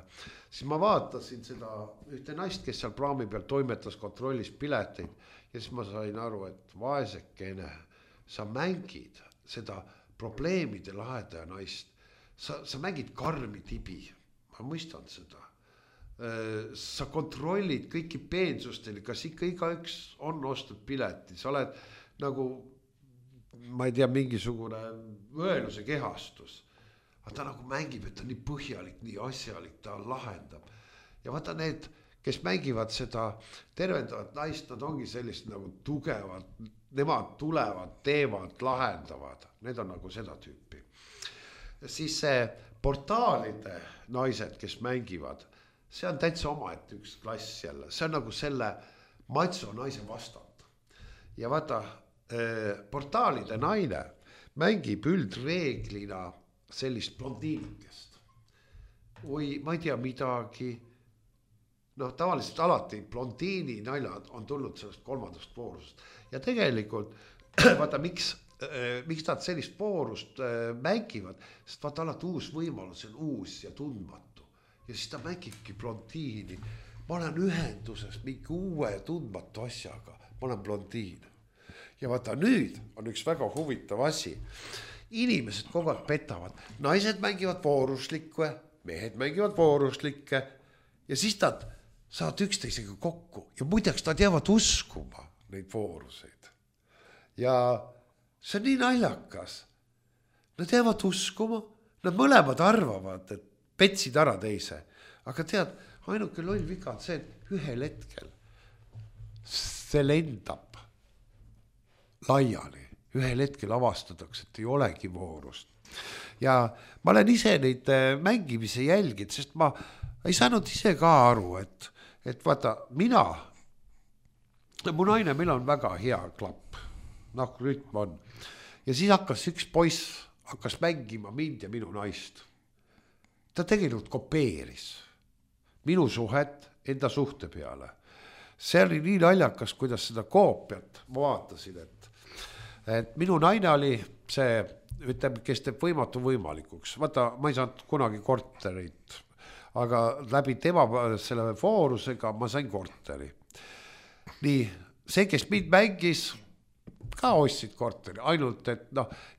siis ma vaatasin seda ühte naist, kes seal praami peal toimetas, kontrollis pileteid ja siis ma sain aru, et vaesekene, sa mängid seda probleemide lahendaja naist. Sa mängid karmi tibi. Ma mõistan seda. Sa kontrollid kõiki peensustele, kas ikka igaüks on ostnud pileti, sa oled nagu, ma ei tea, mingisugune õeluse kehastus, aga ta nagu mängib, et ta nii põhjalik, nii asjalik, ta lahendab ja vaata need, kes mängivad seda tervendavat naist, nad ongi sellist nagu tugevad, nemad tulevad, teevad, lahendavad, need on nagu seda tüüpi. Siis see portaalide naised, kes mängivad, see on täitsa omaette üks klass jälle, see on nagu selle maitso naise vastand. Ja vaata, portaalide naine mängib üldreeglina sellist blondiinikest. Või ma ei tea midagi, noh tavaliselt alati blondiini naljad on tulnud sellest 3. voorusest. Ja tegelikult, vaata miks nad sellist voorust mängivad, sest vaata alati uus võimalus, see on uus ja tundmatu. Ja siis ta mängibki blondiini. Ma olen ühenduses mingi uue tundmatu asjaga, ma olen blondiin. Ja vaata nüüd on üks väga huvitav asi. Inimesed kogu aeg petavad, naised mängivad vooruslikke, mehed mängivad vooruslikke ja siis nad saavad üksteisega kokku ja muideks nad jäävad uskuma neid vooruseid. Ja see on nii naljakas. Nad jäävad uskuma, nad mõlemad arvavad, et petsid ära teise. Aga tead, ainuke loll viga on see, et ühel hetkel see lendab laiali. Ühel hetkel avastatakse, et ei olegi voorust. Ja ma olen ise neid mängimise jälgid, sest ma ei saanud ise ka aru, et vaata, mu naine, meil on väga hea klapp, rütm on. Ja siis hakkas üks poiss hakkas mängima mind ja minu naist. Ta tegelikult kopeeris minu suhet enda suhte peale. See oli nii naljakas, kuidas seda koopiat ma vaatasin, et minu naine oli see, ütleme, kes teeb võimatu võimalikuks. Vaata, ma ei saanud kunagi korterit, aga läbi tema selle voorusega ma sain korteri. Nii, see, kes mind mängis, ka ostsid korteri, ainult et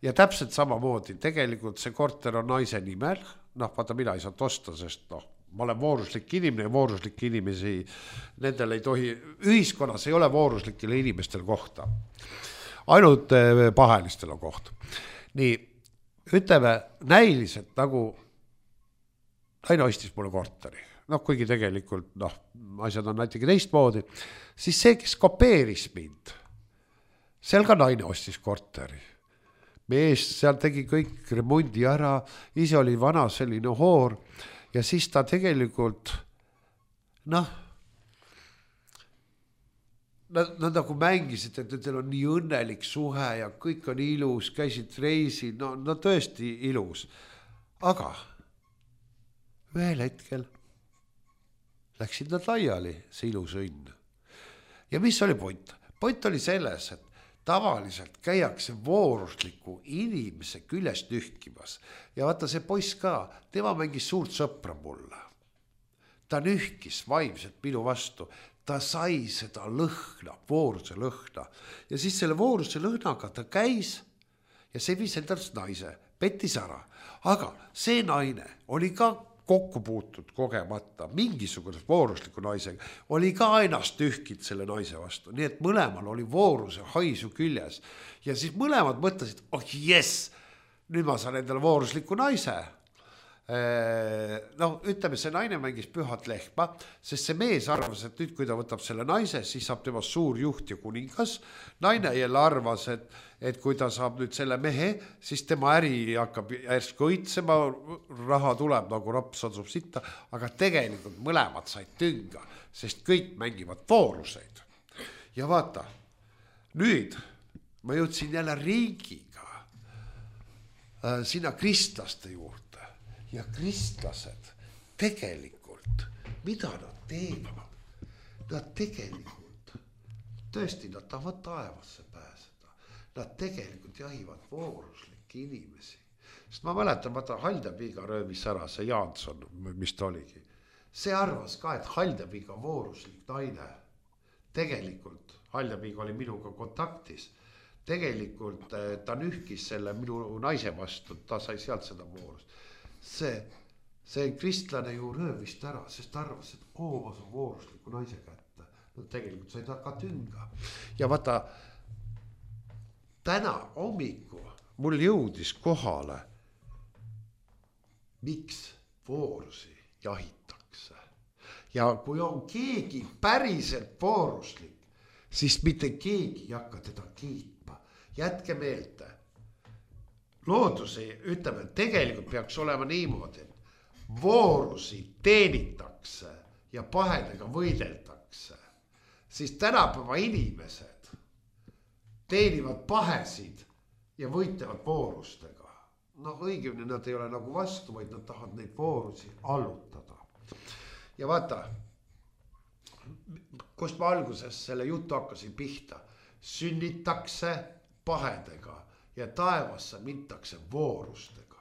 ja täpselt samamoodi, tegelikult see korter on naise nimel, vaata, mina ei saanud osta, sest ma olen vooruslik inimene ja vooruslik inimesi, nendel ei tohi, ühiskonnas ei ole vooruslikele inimestel kohta. Ainult pahelistel on koht. Nii, ütleme näiliselt nagu naine ostis mulle korteri. Kuigi tegelikult, asjad on näitegi teistmoodi. Siis see, kes kopeeris mind, seal ka naine ostis korteri. Mees seal tegi kõik remondi ära, ise oli vana selline hoor ja siis ta tegelikult, nad nagu mängisid, et teil on nii õnnelik suhe ja kõik on ilus, käisid reisil, no tõesti ilus. Aga ühel hetkel läksid nad laiali, see ilus õnn. Ja mis oli point? Point oli selles, et tavaliselt käiakse voorusliku inimese küljest nühkimas. Ja vaata see poiss ka, tema mängis suurt sõpra mulle. Ta nühkis vaimselt minu vastu. Ta sai seda lõhna, vooruse lõhna. Ja siis selle vooruse lõhnaga ta käis ja see viis endast naise, pettis ära. Aga see naine oli ka kokku puutud kogemata mingisugune voorusliku naisega, oli ka ennast tühkid selle naise vastu. Nii et mõlemal oli vooruse haisu küljes. Ja siis mõlemad mõtlesid, nüüd ma saan endale voorusliku naise. Ütleme, see naine mängis pühat lehma, sest see mees arvas, et nüüd kui ta võtab selle naise, siis saab tema suur juht ja kuningas. Naine jälle arvas, et kui ta saab nüüd selle mehe, siis tema äri hakkab järsku õitsema, raha tuleb nagu raps otsub sitta, aga tegelikult mõlemad said tünga, sest kõik mängivad vooruseid. Ja vaata, nüüd ma jõudsin jälle riigiga sinna kristlaste juurde. Ja kristlased tegelikult, mida nad teevad? Nad tegelikult, tõesti, nad tahavad taevasse pääseda. Nad tegelikult jahivad vooruslikke inimesi. Sest ma mäletan, vaata Haldapiga röövis ära see Jaanson, mis ta oligi. See arvas ka, et Haldapiga vooruslik naine. Tegelikult Haldapiga oli minuga kontaktis. Tegelikult ta nühkis selle minu naise vastu, ta sai sealt seda voorust. See kristlane ju röövist ära, sest arvas, et ma saan voorusliku naise kätte. Tegelikult sai ta ka tünga. Ja vaata, täna hommiku mul jõudis kohale, miks voorusi jahitakse. Ja kui on keegi päriselt vooruslik, siis mitte keegi ei hakka teda kiitma. Jätke meelde. Loodusi, ütleme, tegelikult peaks olema niimoodi, et voorusi teenitakse ja pahedega võideldakse. Siis tänapäeva inimesed teenivad pahesid ja võitlevad voorustega. Õigemini nad ei ole nagu vastu, vaid nad tahavad neid voorusi allutada. Ja vaata, kust ma alguses selle jutu hakkasin pihta, sünnitakse pahedega. Ja taevasse mintakse voorustega.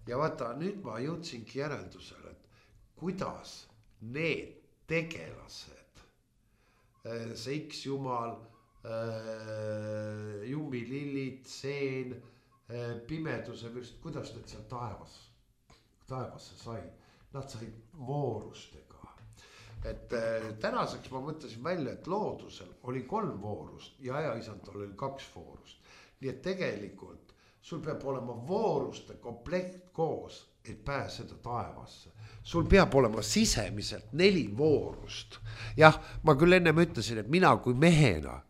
Ja vaata, nüüd ma jõudsingi järeldusele, et kuidas need tegelased, see X-jumal, jumilillid, seen, pimeduse, kuidas need seal taevasse said? Nad said voorustega. et tänaseks ma mõtlesin välja, et loodusel oli 3 voorust ja ajaisandal oli 2 voorust. Nii et tegelikult sul peab olema vooruste komplekt koos, et pääseda taevasse. Sul peab olema sisemiselt 4 voorust. Jah, ma küll ennem ütlesin, et mina kui mehena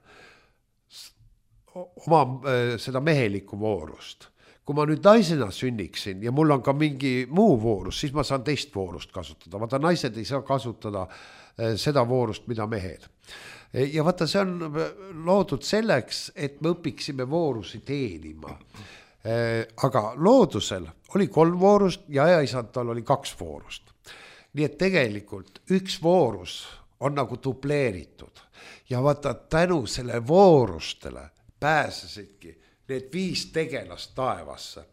oma seda mehelikku voorust. Kui ma nüüd naisena sünniksin ja mul on ka mingi muu voorus, siis ma saan teist voorust kasutada. Vaata, naised ei saa kasutada seda voorust, mida mehed. Ja vaata, see on loodud selleks, et me õpiksime voorusi teenima. Aga loodusel oli 3 voorust ja ajaisandal oli 2 voorust. Nii et tegelikult 1 voorus on nagu dubleeritud. Ja vaata, tänu selle voorustele pääsesidki need 5 tegelast taevasse.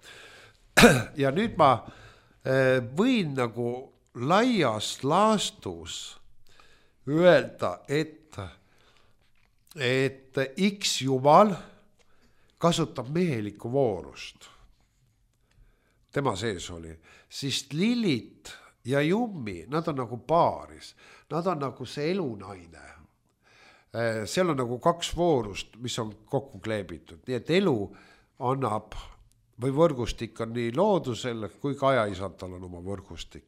Ja nüüd ma võin nagu laias laastus öelda, et X Jumal kasutab mehelikku voorust. Tema sees oli. Siis Lillit ja Jummi, nad on nagu paaris. Nad on nagu see elunaine. Seal on nagu 2 voorust, mis on kokku kleebitud. Nii et elu annab, või võrgustik on nii loodusel, kui ka ajaisandal on oma võrgustik.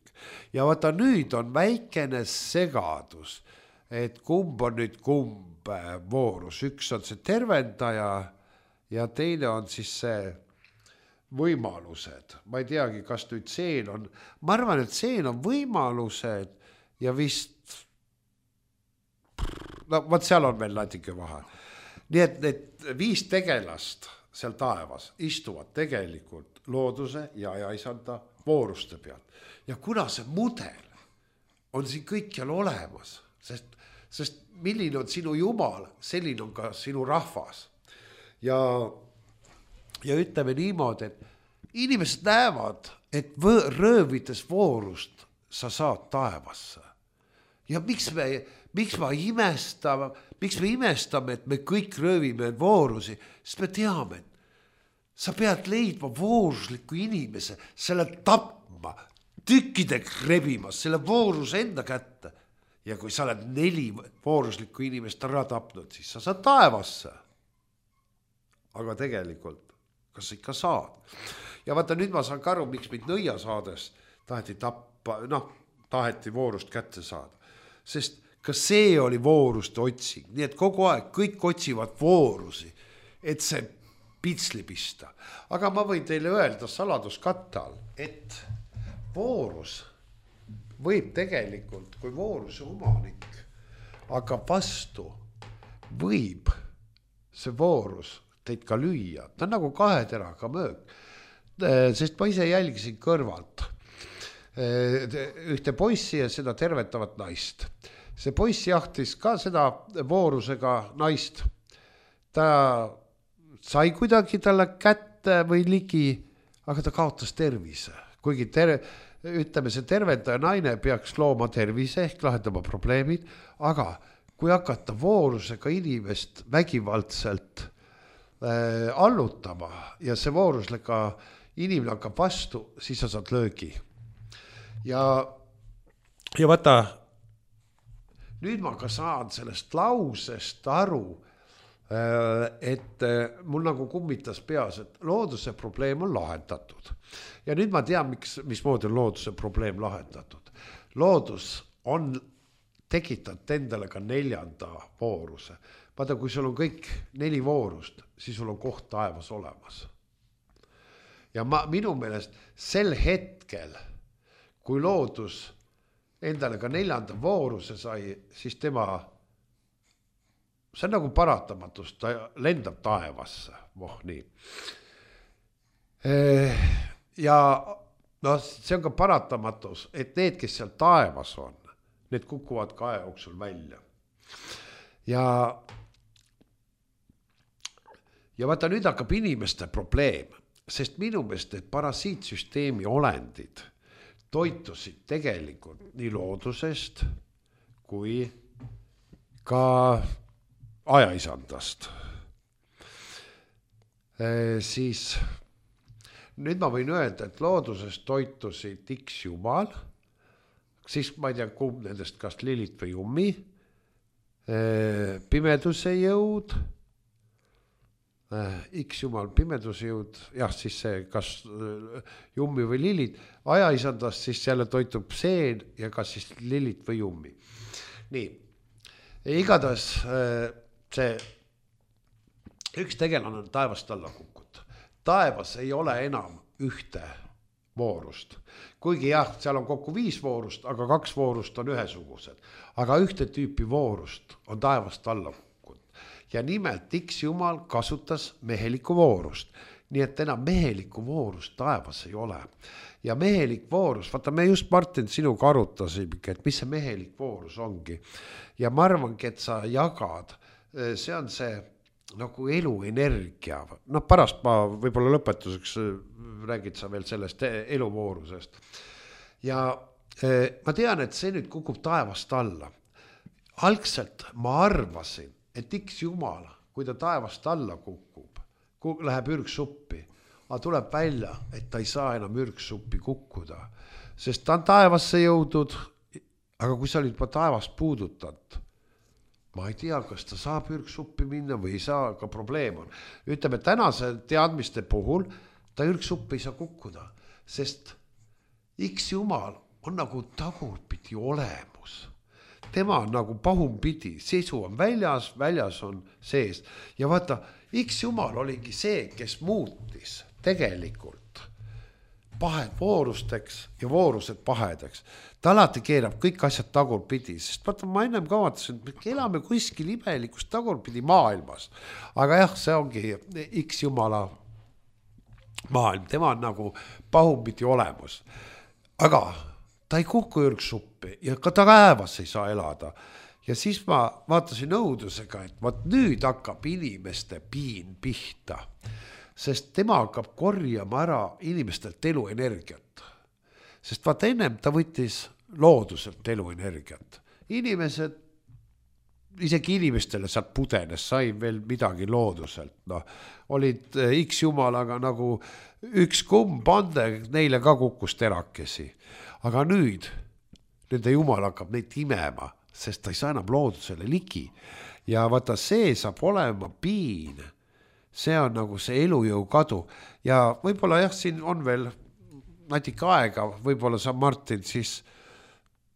Ja vaata, nüüd on väikene segadus, et kumb on nüüd kumb voorus. Üks on see tervendaja ja teine on siis see võimalused. Ma ei teagi, kas nüüd seen on, ma arvan, et seen on võimalused ja vist no vaat seal on veel natuke vahe. Nii et need 5 tegelast seal taevas istuvad tegelikult looduse ja ajaisanda vooruste pealt. Ja kuna see mudel on siin kõikjal olemas, sest milline on sinu Jumal, selline on ka sinu rahvas. Ja ütleme niimoodi, et inimesed näevad, et röövides voorust sa saad taevasse. Ja miks me imestame, et me kõik röövime voorusi, sest me teame, et sa pead leidma voorusliku inimese, selle tapma, tükkidega rebimas, selle vooruse enda kätte. Ja kui sa oled 4 vooruslikku inimest ära tapnud, siis sa saad taevasse. Aga tegelikult, kas ikka saad? Ja vaata, nüüd ma saan ka aru, miks mind nõia saades taheti voorust kätte saada. Sest ka see oli vooruste otsing, nii et kogu aeg kõik otsivad voorusi, et see pitsli pista. Aga ma võin teile öelda saladuskatte all, et voorus võib tegelikult, kui vooruse omanik hakkab vastu, võib see voorus teid ka lüüa. Ta on nagu 2 teraga möök, sest ma ise jälgisin kõrvalt ühte poissi ja seda tervetavat naist. See poiss jahtis ka seda voorusega naist. Ta sai kuidagi talle kätte või ligi, aga ta kaotas tervise. Kuigi ütleme, see tervendaja naine peaks looma tervise ehk lahendama probleemid, aga kui hakata voorusega inimest vägivaldselt allutama ja see voorusega inimene hakkab vastu, siis sa saad löögi. Ja vaata, nüüd ma ka saan sellest lausest aru, et mul nagu kummitas peas, et looduse probleem on lahendatud. Ja nüüd ma tean, mismoodi on looduse probleem lahendatud. Loodus on tekitanud endale ka 4. vooruse. Vaata, kui sul on kõik 4 voorust, siis sul on koht taevas olemas. Ja minu meelest sel hetkel, kui loodus endale ka 4. vooruse sai, siis see on nagu paratamatus, ta lendab taevasse. Nii. Ja see on ka paratamatus, et need, kes seal taevas on, need kukuvad ka aja jooksul välja. Ja vaata, nüüd hakkab inimeste probleem, sest minu meelest need parasiitsüsteemi olendid toitusid tegelikult nii loodusest kui ka ajaisandast. Siis nüüd ma võin öelda, et loodusest toitusid X Jumal, siis ma ei tea, kumb nendest, kas Lilith või Jummi, pimeduse jõud, X jumal pimeduse jõud, jah, siis see, kas Jummi või Lilith, ajaisandast siis jälle toitub seen ja kas siis Lilith või Jummi. Nii, igatahes see üks tegelane on taevast alla kukkunud. Taevas ei ole enam ühte voorust. Kuigi jah, seal on kokku 5 voorust, aga 2 voorust on ühesugused. Aga ühte tüüpi voorust on taevast alla kukkunud. Ja nimelt X jumal kasutas mehelikku voorust. Nii et enam mehelikku voorust taevas ei ole. Ja mehelik voorus, vaata me just Martin sinuga arutasime, et mis see mehelik voorus ongi. Ja ma arvangi, et sa jagad, see on see nagu eluenergia. No pärast ma võib-olla lõpetuseks räägid sa veel sellest eluvoorusest. Ja ma tean, et see nüüd kukub taevast alla. Algselt ma arvasin, et X jumal, kui ta taevast alla kukub, läheb ürgsuppi, aga tuleb välja, et ta ei saa enam ürgsuppi kukkuda, sest ta on taevasse jõudnud, aga kui sa olid juba taevast puudutanud, ma ei tea, kas ta saab ürgsuppi minna või ei saa, aga probleem on. Ütleme, tänase teadmiste puhul ta ürgsuppi ei saa kukkuda, sest X jumal on nagu tagurpidi olemus. Tema on nagu pahumpidi, sisu on väljas on sees. Ja vaata, X jumal oligi see, kes muutis tegelikult pahed voorusteks ja voorused pahedeks. Ta alati keerab kõik asjad tagurpidi, sest vaata, ma ennem kavatasin, et elame kuskil imelikus tagurpidi maailmas. Aga jah, see ongi X jumala maailm, tema on nagu pahumpidi olemus. Aga ta ei kuku ürgsuppi ja ka ta kaevas ei saa elada. Ja siis ma vaatasin õudusega, et vaat nüüd hakkab inimeste piin pihta, sest tema hakkab korjama ära inimestelt eluenergiat. Sest vaat ennem ta võttis looduselt eluenergiat. Inimesed, isegi inimestele sealt pudenes, sai veel midagi looduselt. No, olid X jumalaga nagu üks kumbande, neile ka kukkus terakesi. Aga nüüd nende jumal hakkab neid imema, sest ta ei saa enam loodusele ligi. Ja vaata, see saab olema piin. See on nagu see elujõu kadu. Ja võib-olla jah, siin on veel natuke aega, võib-olla sa Martin siis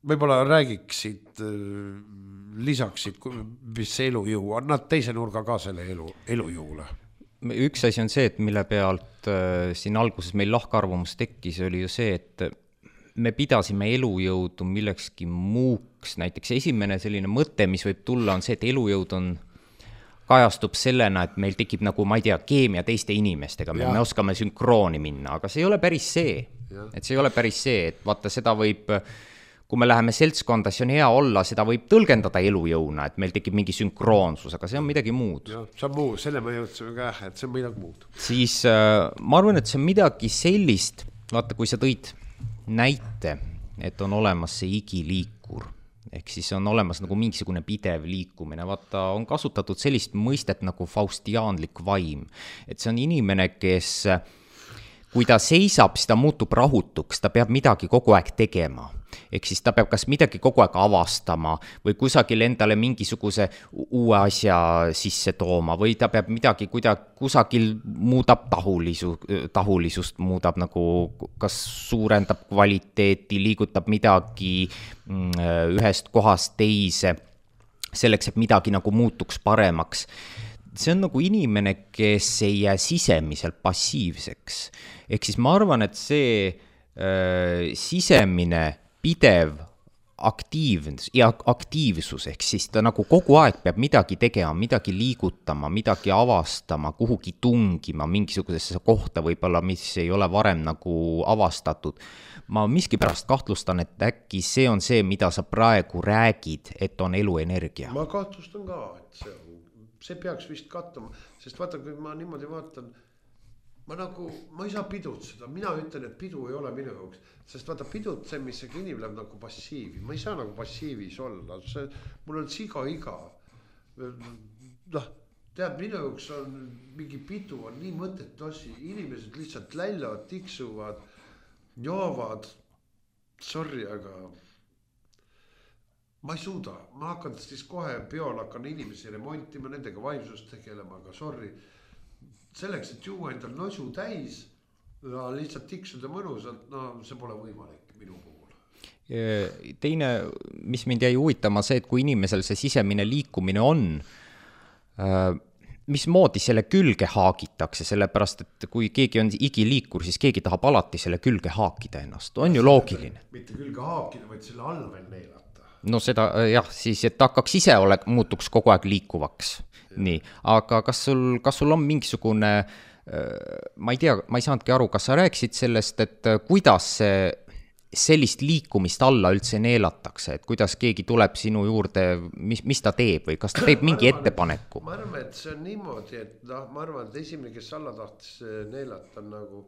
võib-olla räägiksid, lisaksid, mis see elujõu on, nad teise nurga ka selle elujõule. Üks asi on see, et mille pealt siin alguses meil lahkarvamus tekkis, oli ju see, et me pidasime elujõudu millekski muuks. Näiteks esimene selline mõte, mis võib tulla, on see, et elujõud kajastub sellena, et meil tekib nagu, ma ei tea, keemia teiste inimestega, me oskame sünkrooni minna, aga see ei ole päris see. Et see ei ole päris see, et vaata, seda võib, kui me läheme seltskonda, see on hea olla, seda võib tõlgendada elujõuna, et meil tekib mingi sünkroonsus, aga see on midagi muud. Ja, see on muu, selle me jõudsime ka, et see on midagi muud. Siis ma arvan, et see on midagi sellist, vaata, kui sa tõid näite, et on olemas see igiliikur, ehk siis on olemas nagu mingisugune pidev liikumine, vaata, on kasutatud sellist mõistet nagu faustiaanlik vaim, et see on inimene, kes, kui ta seisab, siis ta muutub rahutuks, ta peab midagi kogu aeg tegema. Ehk siis ta peab kas midagi kogu aeg avastama või kusagil endale mingisuguse uue asja sisse tooma või ta peab midagi kusagil muudab tahulisust, muudab nagu, kas suurendab kvaliteeti, liigutab midagi ühest kohast teise, selleks, et midagi nagu muutuks paremaks. See on nagu inimene, kes ei jää sisemiselt passiivseks. Ehk siis ma arvan, et see sisemine pidev aktiivsus, ehk siis ta nagu kogu aeg peab midagi tegema, midagi liigutama, midagi avastama, kuhugi tungima, mingisugusesse kohta võib-olla, mis ei ole varem nagu avastatud. Ma miskipärast kahtlustan, et äkki see on see, mida sa praegu räägid, et on eluenergia. Ma kahtlustan ka, et see peaks vist kattuma, sest vaata, kui ma niimoodi vaatan, ma ei saa pidutseda, mina ütlen, et pidu ei ole minu jaoks, sest vaata pidutsemisega inimene läheb nagu passiivi, ma ei saa nagu passiivis olla, mul on siga iga. Tead, minu jaoks on mingi pidu, on nii mõttetu asi, inimesed lihtsalt lällavad, tiksuvad, joovad, sorry, aga ma ei suuda, ma hakkan siis kohe peol hakkan inimesi remontima, nendega vaimsust tegelema, aga sorry. Selleks, et juua endal nosu täis ja lihtsalt tiksuda mõnusalt, no see pole võimalik minu puhul. Teine, mis mind jäi huvitama, see, et kui inimesel see sisemine liikumine on, mismoodi selle külge haagitakse, sellepärast, et kui keegi on igiliikur, siis keegi tahab alati selle külge haakida ennast, on ju loogiline. Mitte külge haakida, vaid selle alla veel neelata. No seda jah, siis et hakkaks ise muutuks kogu aeg liikuvaks. Nii, aga kas sul on mingisugune, ma ei tea, ma ei saanudki aru, kas sa rääkisid sellest, et kuidas sellist liikumist alla üldse neelatakse, et kuidas keegi tuleb sinu juurde, mis ta teeb või kas ta teeb mingi ettepaneku? Ma arvan, et see on niimoodi, et ma arvan, et esimene, kes alla tahtis neelata on nagu,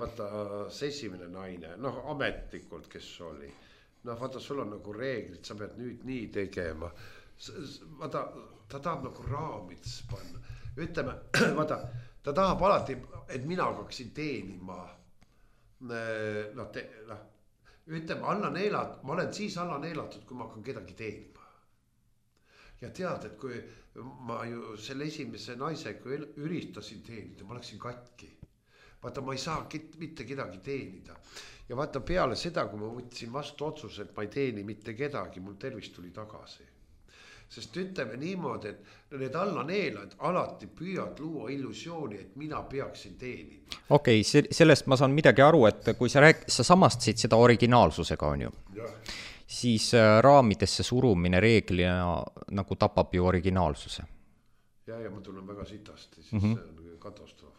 vaata see esimene naine, ametlikult, kes oli. Vaata, sul on nagu reeglid, sa pead nüüd nii tegema. Vaata, ta tahab nagu raamides panna. Ütleme, vaata, ta tahab alati, et mina hakkaksin teenima. Ütleme, alla neelat, ma olen siis alla neelatud, kui ma hakkan kedagi teenima. Ja tead, et kui ma ju selle esimese naisega üritasin teenida, ma läksin katki. Vaata, ma ei saa mitte kedagi teenida. Ja vaata, peale seda, kui ma võtsin vastu otsuse, et ma ei teeni mitte kedagi, mul tervis tuli tagasi. Sest ütleme niimoodi, et need alla neelad alati püüad luua illusiooni, et mina peaksin teenima. Okei, sellest ma saan midagi aru, et kui sa samastasid seda originaalsusega, on ju, siis raamidesse surumine reeglina nagu tapab ju originaalsuse. Ja ma tunnen väga sitasti, siis see on katastroof.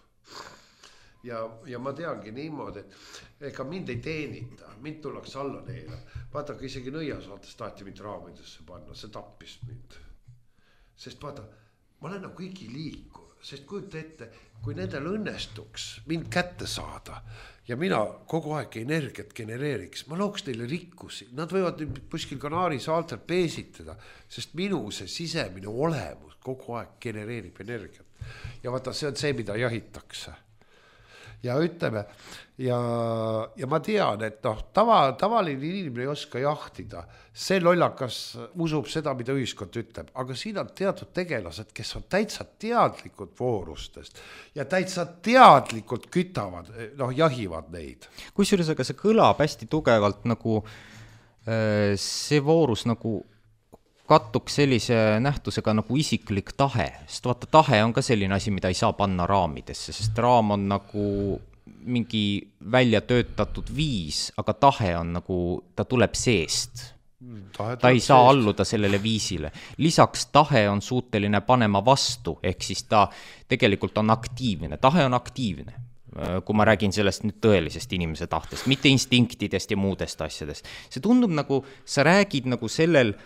Ja ma teangi niimoodi, et ega mind ei teenita, mind tullakse alla neela. Vaata, kui isegi nõiasaates taheti mind raamidesse panna, see tappis mind. Sest vaata, ma olen nagu igiliikur, sest kujuta ette, kui nendel õnnestuks mind kätte saada ja mina kogu aeg energiat genereeriks, ma looks neile rikkusi. Nad võivad kuskil Kanaari saartel peesitada, sest minu see sisemine olemus kogu aeg genereerib energiat. Ja vaata, see on see, mida jahitakse. Ja ütleme, ja ma tean, et tavaline inimene ei oska jahtida. See lollakas usub seda, mida ühiskond ütleb, aga siin on teatud tegelased, kes on täitsa teadlikud voorustest ja täitsa teadlikult kütavad, jahivad neid. Kusjuures aga see kõlab hästi tugevalt nagu see voorus nagu kattuks sellise nähtusega nagu isiklik tahe, sest vaata, tahe on ka selline asi, mida ei saa panna raamidesse, sest raam on nagu mingi välja töötatud viis, aga tahe on nagu, ta tuleb seest. Ta ei saa alluda sellele viisile. Lisaks tahe on suuteline panema vastu, ehk siis ta tegelikult on aktiivne, tahe on aktiivne. Kui ma räägin sellest nüüd tõelisest inimese tahtest, mitte instinktidest ja muudest asjadest. See tundub nagu, sa räägid nagu sellel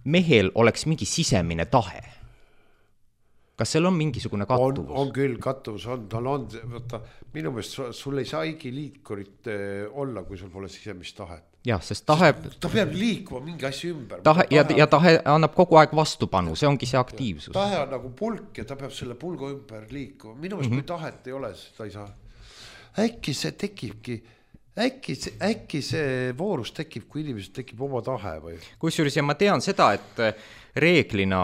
mehel oleks mingi sisemine tahe. Kas seal on mingisugune kattuvus? On küll, kattuvus on, tal on, võtta, minu meelest sul ei saa igiliikurit olla, kui sul pole sisemist tahet. Jah, sest tahe... Ta peab liikuma mingi asja ümber. Ja tahe annab kogu aeg vastupanu, see ongi see aktiivsus. Tahe on nagu pulk ja ta peab selle pulgu ümber liikuma. Minu meelest kui tahet ei ole, seda ei saa. Äkki see tekibki... Äkki see voorus tekib, kui inimesed tekib oma tahe või? Kusjuures ja ma tean seda, et reeglina,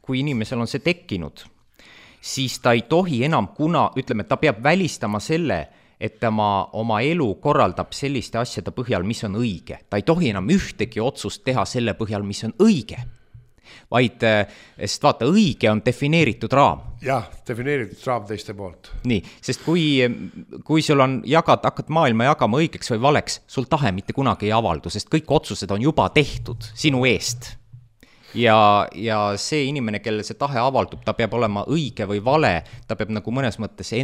kui inimesel on see tekkinud, siis ta ei tohi enam ütleme, ta peab välistama selle, et ta oma elu korraldab selliste asjade põhjal, mis on õige. Ta ei tohi enam ühtegi otsust teha selle põhjal, mis on õige. Vaid, sest vaata, õige on defineeritud raam. Jah, defineeritud raam teiste poolt. Nii, sest kui sul on hakkad maailma jagama õigeks või valeks, sul tahe mitte kunagi ei avaldu, sest kõik otsused on juba tehtud sinu eest. Ja see inimene, kellel see tahe avaldub, ta peab olema õige või vale, ta peab nagu mõnes mõttes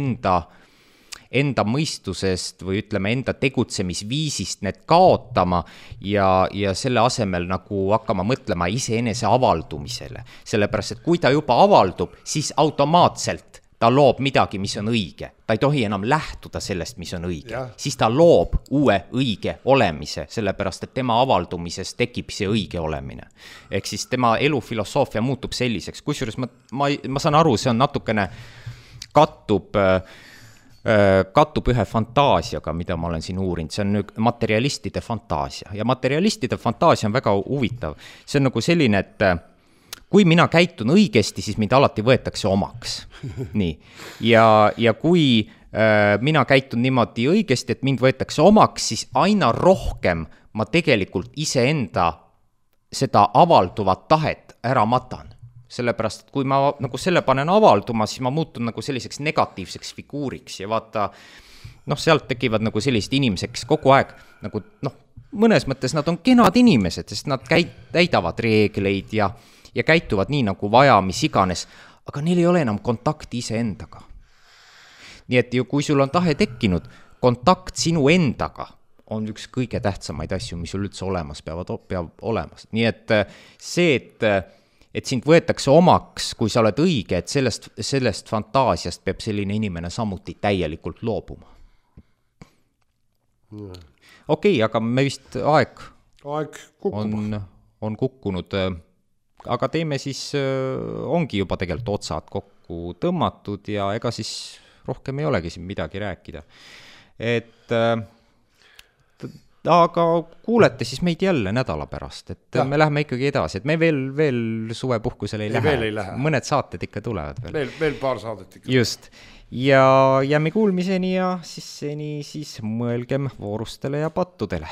enda mõistusest või ütleme enda tegutsemisviisist need kaotama ja selle asemel nagu hakkama mõtlema iseenese avaldumisele. Sellepärast, et kui ta juba avaldub, siis automaatselt ta loob midagi, mis on õige. Ta ei tohi enam lähtuda sellest, mis on õige. Ja. Siis ta loob uue õige olemise, sellepärast, et tema avaldumises tekib see õige olemine. Ehk siis tema elufilosoofia muutub selliseks. Kusjuures ma saan aru, see on natukene kattub kattub ühe fantaasiaga, mida ma olen siin uurinud, see on nüüd materialistide fantaasia ja materialistide fantaasia on väga huvitav. See on nagu selline, et kui mina käitun õigesti, siis mind alati võetakse omaks. Nii. Ja kui mina käitun niimoodi õigesti, et mind võetakse omaks, siis aina rohkem ma tegelikult iseenda seda avalduvat tahet ära matan. Sellepärast, et kui ma nagu selle panen avalduma, siis ma muutun nagu selliseks negatiivseks figuuriks ja vaata, sealt tekivad nagu sellised inimeseks kogu aeg, nagu mõnes mõttes nad on kenad inimesed, sest nad täidavad reegleid ja käituvad nii nagu vaja, mis iganes, aga neil ei ole enam kontakti iseendaga. Nii et ju, kui sul on tahe tekkinud, kontakt sinu endaga on üks kõige tähtsamaid asju, mis sul üldse olemas peab olemas. Nii et see, et sind võetakse omaks, kui sa oled õige, et sellest fantaasiast peab selline inimene samuti täielikult loobuma. Okei, aga me vist aeg on kukkunud, aga teeme siis, ongi juba tegelikult otsad kokku tõmmatud ja ega siis rohkem ei olegi siin midagi rääkida. Aga kuulete siis meid jälle nädala pärast, et me läheme ikkagi edasi, et me veel suvepuhkusele ei lähe. Mõned saated ikka tulevad veel. Veel paar saadet ikka. Just. Ja jääme kuulmiseni ja siis seni siis mõelgem voorustele ja pattudele.